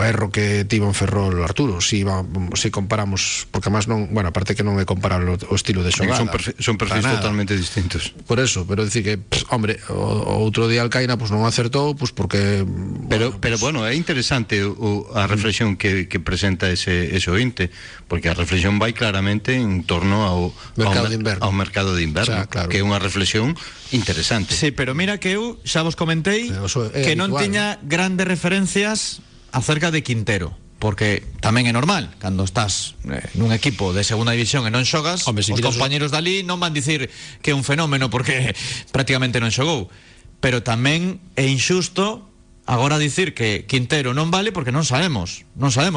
erro que tivo en Ferrol Arturo. Si comparamos, porque además non, bueno, aparte que non é comparable o estilo de xogada. Son perfis totalmente distintos. Por eso, pero decir que, hombre, o outro día Alcaina non acertou, porque Pero bueno, é interesante a reflexión que presenta ese ointe, porque a reflexión vai claramente en torno ao mercado de inverno, claro. Que é unha reflexión interesante. Sí, pero mira que eu xa vos comentei que non tiña grandes referencias acerca de Quintero, porque tamén é normal, cando estás nun equipo de segunda división e non xogas, os compañeros dali non van dicir que é un fenómeno porque prácticamente non xogou, pero tamén é injusto agora dicir que Quintero non vale porque non sabemos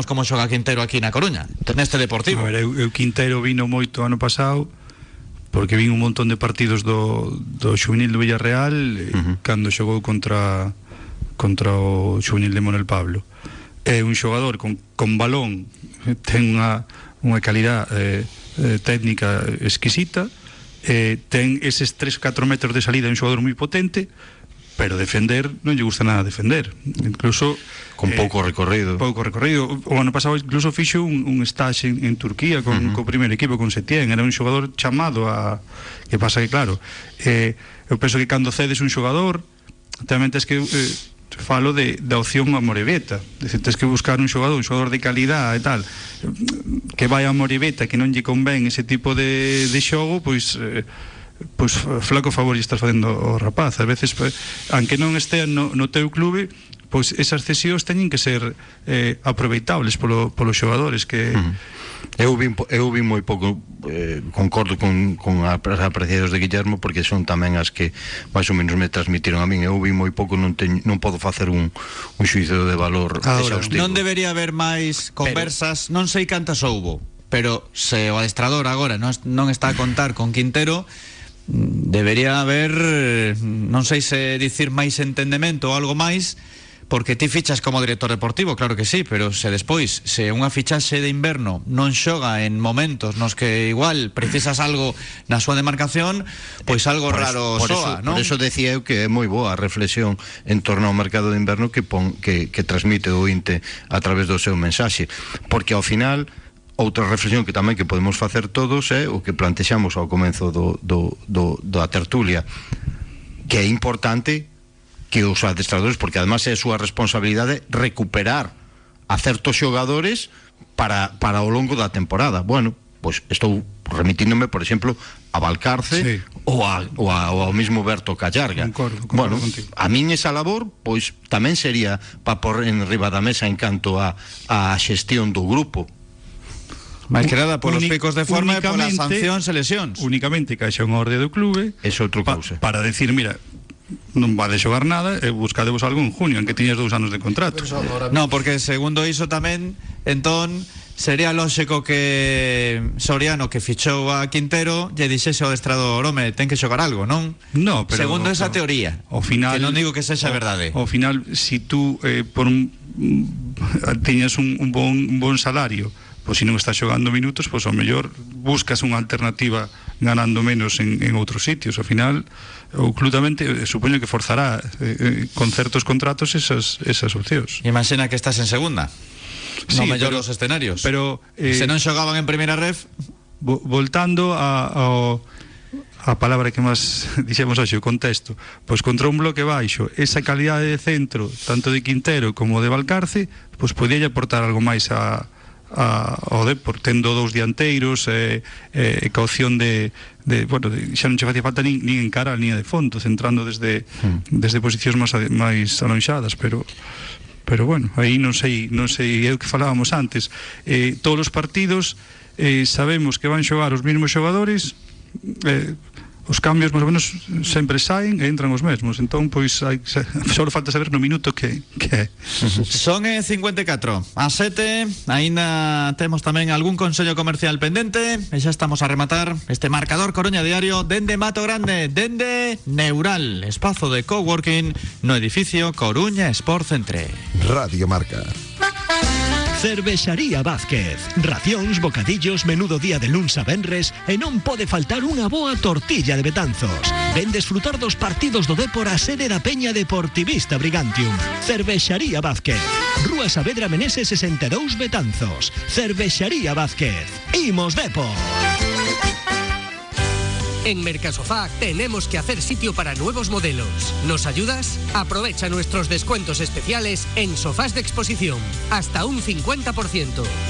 como xoga Quintero aquí na Coruña, neste Deportivo. A ver, eu Quintero vino moito ano pasado porque vin un montón de partidos do xuvenil do Villarreal cando xogou contra o xuvenil de Monel Pablo. É un xogador con balón, ten unha calidade técnica exquisita, ten eses 3-4 metros de salida, é un xogador moi potente, pero defender non lle gusta nada defender, incluso con pouco recorrido. O ano pasado incluso fixo un stage en Turquía co primeiro equipo, con Setién. Era un xogador chamado a... Que pasa que, claro, eu penso que cando cedes un xogador tamén tens que falo da opción a Amorebieta, tens que buscar un xogador de calidad e tal, que vai a Amorebieta, que non lle convén ese tipo de xogo, pois flaco favor lle estás facendo o rapaz. A veces, aunque non estea no teu clube, pois esas cesións teñen que ser aproveitables polos xogadores que... Eu vi moi pouco, concordo con as apreciacións de Guillermo, porque son tamén as que máis ou menos me transmitiron a min. Eu vi moi pouco, non podo facer un xuízo de valor exhaustivo. Non debería haber máis conversas, non sei cantas houbo, pero se o adestrador agora non está a contar con Quintero, debería haber, non sei se dicir máis entendemento ou algo máis, porque ti fichas como director deportivo, claro que sí, pero se despois, se unha fichaxe de inverno non xoga en momentos nos que igual precisas algo na súa demarcación, pois algo raro soa, non? Por eso decía eu que é moi boa a reflexión en torno ao mercado de inverno que transmite o INTE a través do seu mensaxe, porque ao final outra reflexión que tamén que podemos facer todos é o que plantexamos ao comenzo da tertulia, que é importante que os adestradores, porque además é a súa responsabilidade recuperar a certos xogadores para o longo da temporada. Bueno, pois estou remitíndome, por exemplo, a Valcarce, sí, ou ao mismo Berto Callarga. Concordo contigo. A min esa labor pois tamén sería para pôr en riba da mesa en canto a xestión do grupo. máis que nada polos picos de forma e polas sancións e lesións. Únicamente caixa unha orde do clube para decir, mira, non vade xogar nada e buscadevos algo en junio, en que tiñas 2 anos de contrato. No, porque segundo iso tamén, entón sería lógico que Soriano, que fichou a Quintero, lle dixese ao adestrador, home, ten que xogar algo, non? No, pero segundo esa teoría, ao final, que non digo que sexa verdade. Ao final, si tú tiñas un bon salario, pois se non estás xogando minutos, pois ao mellor buscas unha alternativa ganando menos en outros sitios. Ao final, o club tamén supoño que forzará con certos contratos esas opcións. Imagina que estás en segunda, sí, no mellor dos escenarios, pero se non xogaban en primeira ref. Voltando a palabra que máis dixemos hoxe, o contexto, pois contra un bloque baixo, esa calidade de centro, tanto de Quintero como de Valcarce, pois podía aportar algo máis ao Depor, tendo 2 dianteiros e ca opción de bueno, xa non che facía falta nin encara a línea de fondo, centrando desde posicións máis alonxadas, pero bueno, aí non sei, é o que falábamos antes, todos os partidos sabemos que van xogar os mesmos xogadores, os cambios máis ou menos sempre saen e entran os mesmos, entón pois só falta saber no minuto que é. Son 54 a 7, aínda temos tamén algún consello comercial pendente e xa estamos a rematar este marcador Coruña Diario dende Mato Grande, dende Neural, espazo de coworking no edificio Coruña Sport Centre. Radio Marca. Cervexaría Vázquez. Racións, bocadillos, menudo día de luns a venres e non pode faltar unha boa tortilla de Betanzos. Ven desfrutar dos partidos do Depor a sede da Peña Deportivista Brigantium. Cervexaría Vázquez. Rúa Saavedra Meneses 62 Betanzos. Cervexaría Vázquez. Imos Depor. En Mercasofá tenemos que hacer sitio para nuevos modelos. ¿Nos ayudas? Aprovecha nuestros descuentos especiales en sofás de exposición, hasta un 50%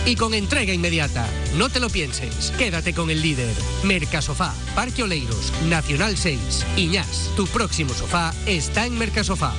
y con entrega inmediata. No te lo pienses, quédate con el líder. Mercasofá, Parque Oleiros, Nacional 6, Iñás. Tu próximo sofá está en Mercasofá.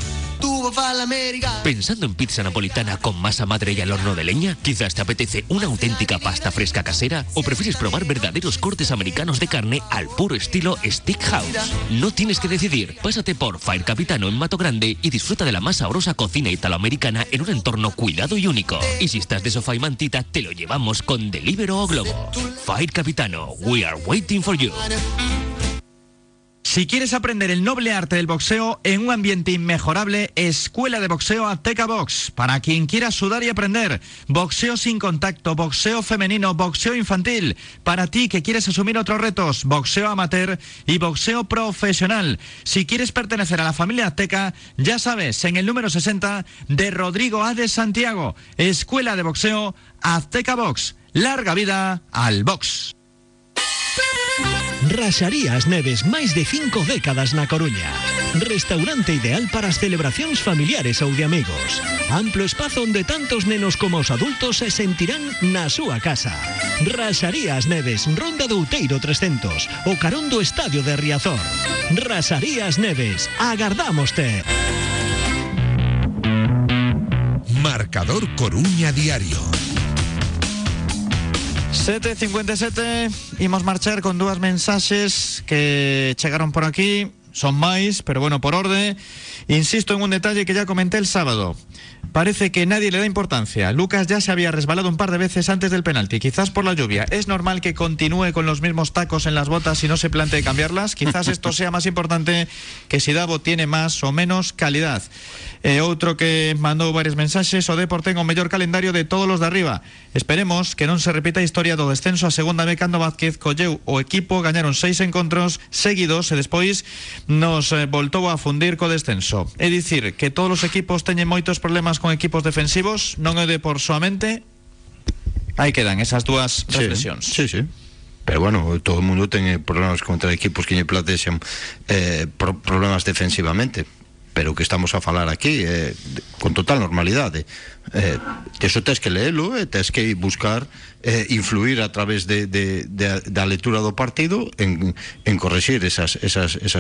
¿Pensando en pizza napolitana con masa madre y al horno de leña? ¿Quizás te apetece una auténtica pasta fresca casera? ¿O prefieres probar verdaderos cortes americanos de carne al puro estilo Steakhouse? No tienes que decidir. Pásate por Fire Capitano en Mato Grande y disfruta de la más sabrosa cocina italoamericana en un entorno cuidado y único. Y si estás de sofá y mantita, te lo llevamos con Deliveroo o Globo. Fire Capitano, we are waiting for you. Si quieres aprender el noble arte del boxeo en un ambiente inmejorable, Escuela de Boxeo Azteca Box. Para quien quiera sudar y aprender, boxeo sin contacto, boxeo femenino, boxeo infantil. Para ti que quieres asumir otros retos, boxeo amateur y boxeo profesional. Si quieres pertenecer a la familia Azteca, ya sabes, en el número 60 de Rodrigo A. de Santiago. Escuela de Boxeo Azteca Box. Larga vida al box. Raxarías Neves, máis de 5 décadas na Coruña. Restaurante ideal para as celebracións familiares ou de amigos. Amplo espazo onde tantos nenos como os adultos se sentirán na súa casa. Raxarías Neves, Ronda do Outeiro 300, o carón do Estadio de Riazor. Raxarías Neves, agardámoste. Marcador Coruña Diario. 7:57, imos marchar con 2 mensaxes que chegaron por aquí. Son máis, pero bueno, por orde. Insisto en un detalle que ya comenté el sábado. Parece que nadie le da importancia. Lucas ya se había resbalado un par de veces antes del penalti, quizás por la lluvia. ¿Es normal que continúe con los mismos tacos en las botas y no se plantee cambiarlas? Quizás esto sea más importante que si Davo tiene más o menos calidad. Outro que mandou varios mensaxes: o Depor ten o mellor calendario de todos los de arriba. Esperemos que non se repita a historia do descenso a segunda B cando Vázquez colleu o equipo, gañaron 6 encontros seguidos e despois nos voltou a fundir co descenso. É dicir, que todos os equipos teñen moitos problemas con equipos defensivos, non é de por soamente. Aí quedan esas dúas reflexións. Sí. Pero bueno, todo o mundo ten problemas contra equipos que lle plantexan problemas defensivamente. Pero que estamos a falar aquí con total normalidade. Eso tens que leelo e tens que buscar influir a través da lectura do partido en correxir esas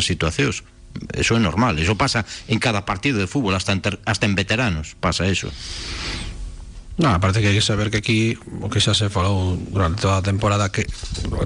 situacións. Eso é normal, eso pasa en cada partido de fútbol, hasta en veteranos pasa eso. No, aparte que hai que saber que aquí o que xa se falou durante toda a temporada, que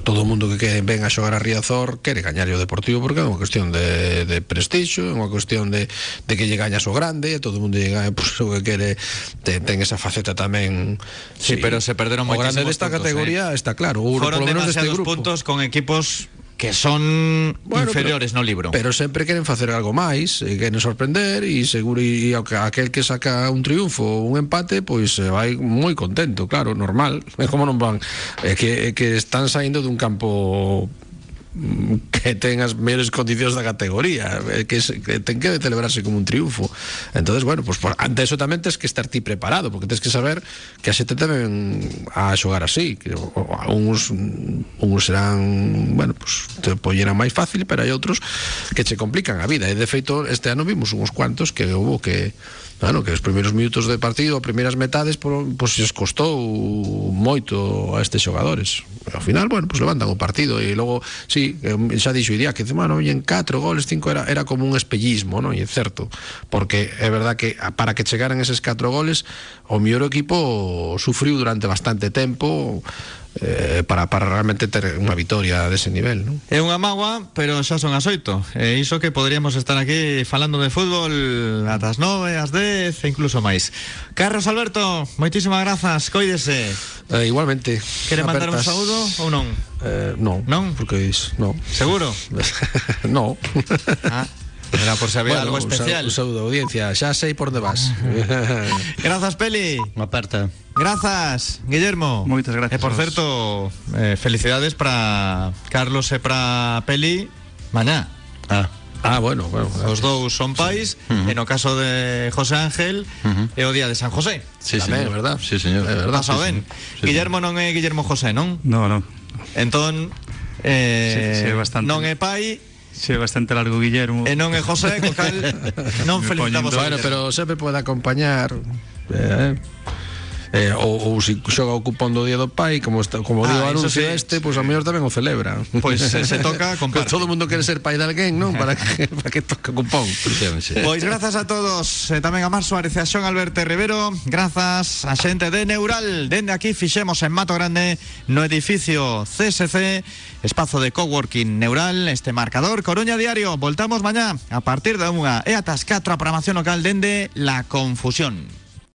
todo o mundo que ven a xogar a Riazor quere gañar o Deportivo, porque é unha cuestión de prestixio, é unha cuestión de que lle gañas o grande, todo o mundo lle gaña, pues, o que quere ten esa faceta tamén. Sí, pero se perderon o grande moitísimos desta puntos, categoría está claro, Foron por lo menos deste demasiados grupo. puntos con equipos que son inferiores no libro. Pero sempre queren facer algo máis, e queren sorprender, e seguro e aquel que saca un triunfo ou un empate, pois vai moi contento, claro, normal. É como non van, que están saindo dun campo que ten as mellores condicións da categoría, que ten que celebrarse como un triunfo. Entonces, bueno, pues ante eso tamén tens que estar ti preparado, porque tens que saber que a xente tamén a xogar así, que uns serán, bueno, pues te polleran máis fácil, pero hai outros que che complican a vida, e de feito este ano vimos uns cuantos que hubo que bueno, que os primeiros minutos de partido, as primeiras metades, pois les costou moito a estes xogadores. E ao final, bueno, pois levantan o partido, e logo, sí, xa dixo Iria que bueno, en 4 goles, 5 era como un espellismo, non? E é certo, porque é verdad que para que chegaran eses 4 goles, o mellor equipo sufriu durante bastante tempo para realmente ter unha vitoria dese nivel, non? É unha mágoa, pero xa son as 8. E iso que poderíamos estar aquí falando de fútbol ata as 9, ás 10 e incluso máis. Carlos Alberto, moitísimas grazas, coídese. Igualmente. Quere mandar un saúdo ou non? Non. Non? Porque non. Seguro? Non. Era por si había algo especial. Un saúdo, audiencia, xa sei por onde vas. Grazas, Peli. Unha aperta. Grazas, Guillermo. Moitas gracias. E por certo, felicidades para Carlos e para Peli mañá. Bueno. Os dous son pais, e no caso de José Ángel é o día de San José. Sí, tamén, señor. verdad? Sí, señor. É verdad. Pasado ben. Sí, Guillermo non é Guillermo José, non? No. Entón, sí, bastante. non é pai, Sí, bastante largo Guillermo. e non é José, co cal non felicitamos a Bueno, Guillermo. pero sempre pode acompañar ou se xoga o cupón do día do pai, como digo o eso anuncio sí. pois ao mellor tamén o celebra. Pois se toca, comparte. Todo o mundo quere ser pai de alguén, non? Para que toque o cupón. Pois grazas a todos, tamén a Mar Suárez e a Xon Alberto Rivero. Grazas a xente de Neural. Dende aquí fixemos en Mato Grande, no edificio CSC, espazo de coworking Neural, este marcador Coruña Diario. Voltamos mañá a partir de 1 e ata as 4 a programación local dende La Confusión.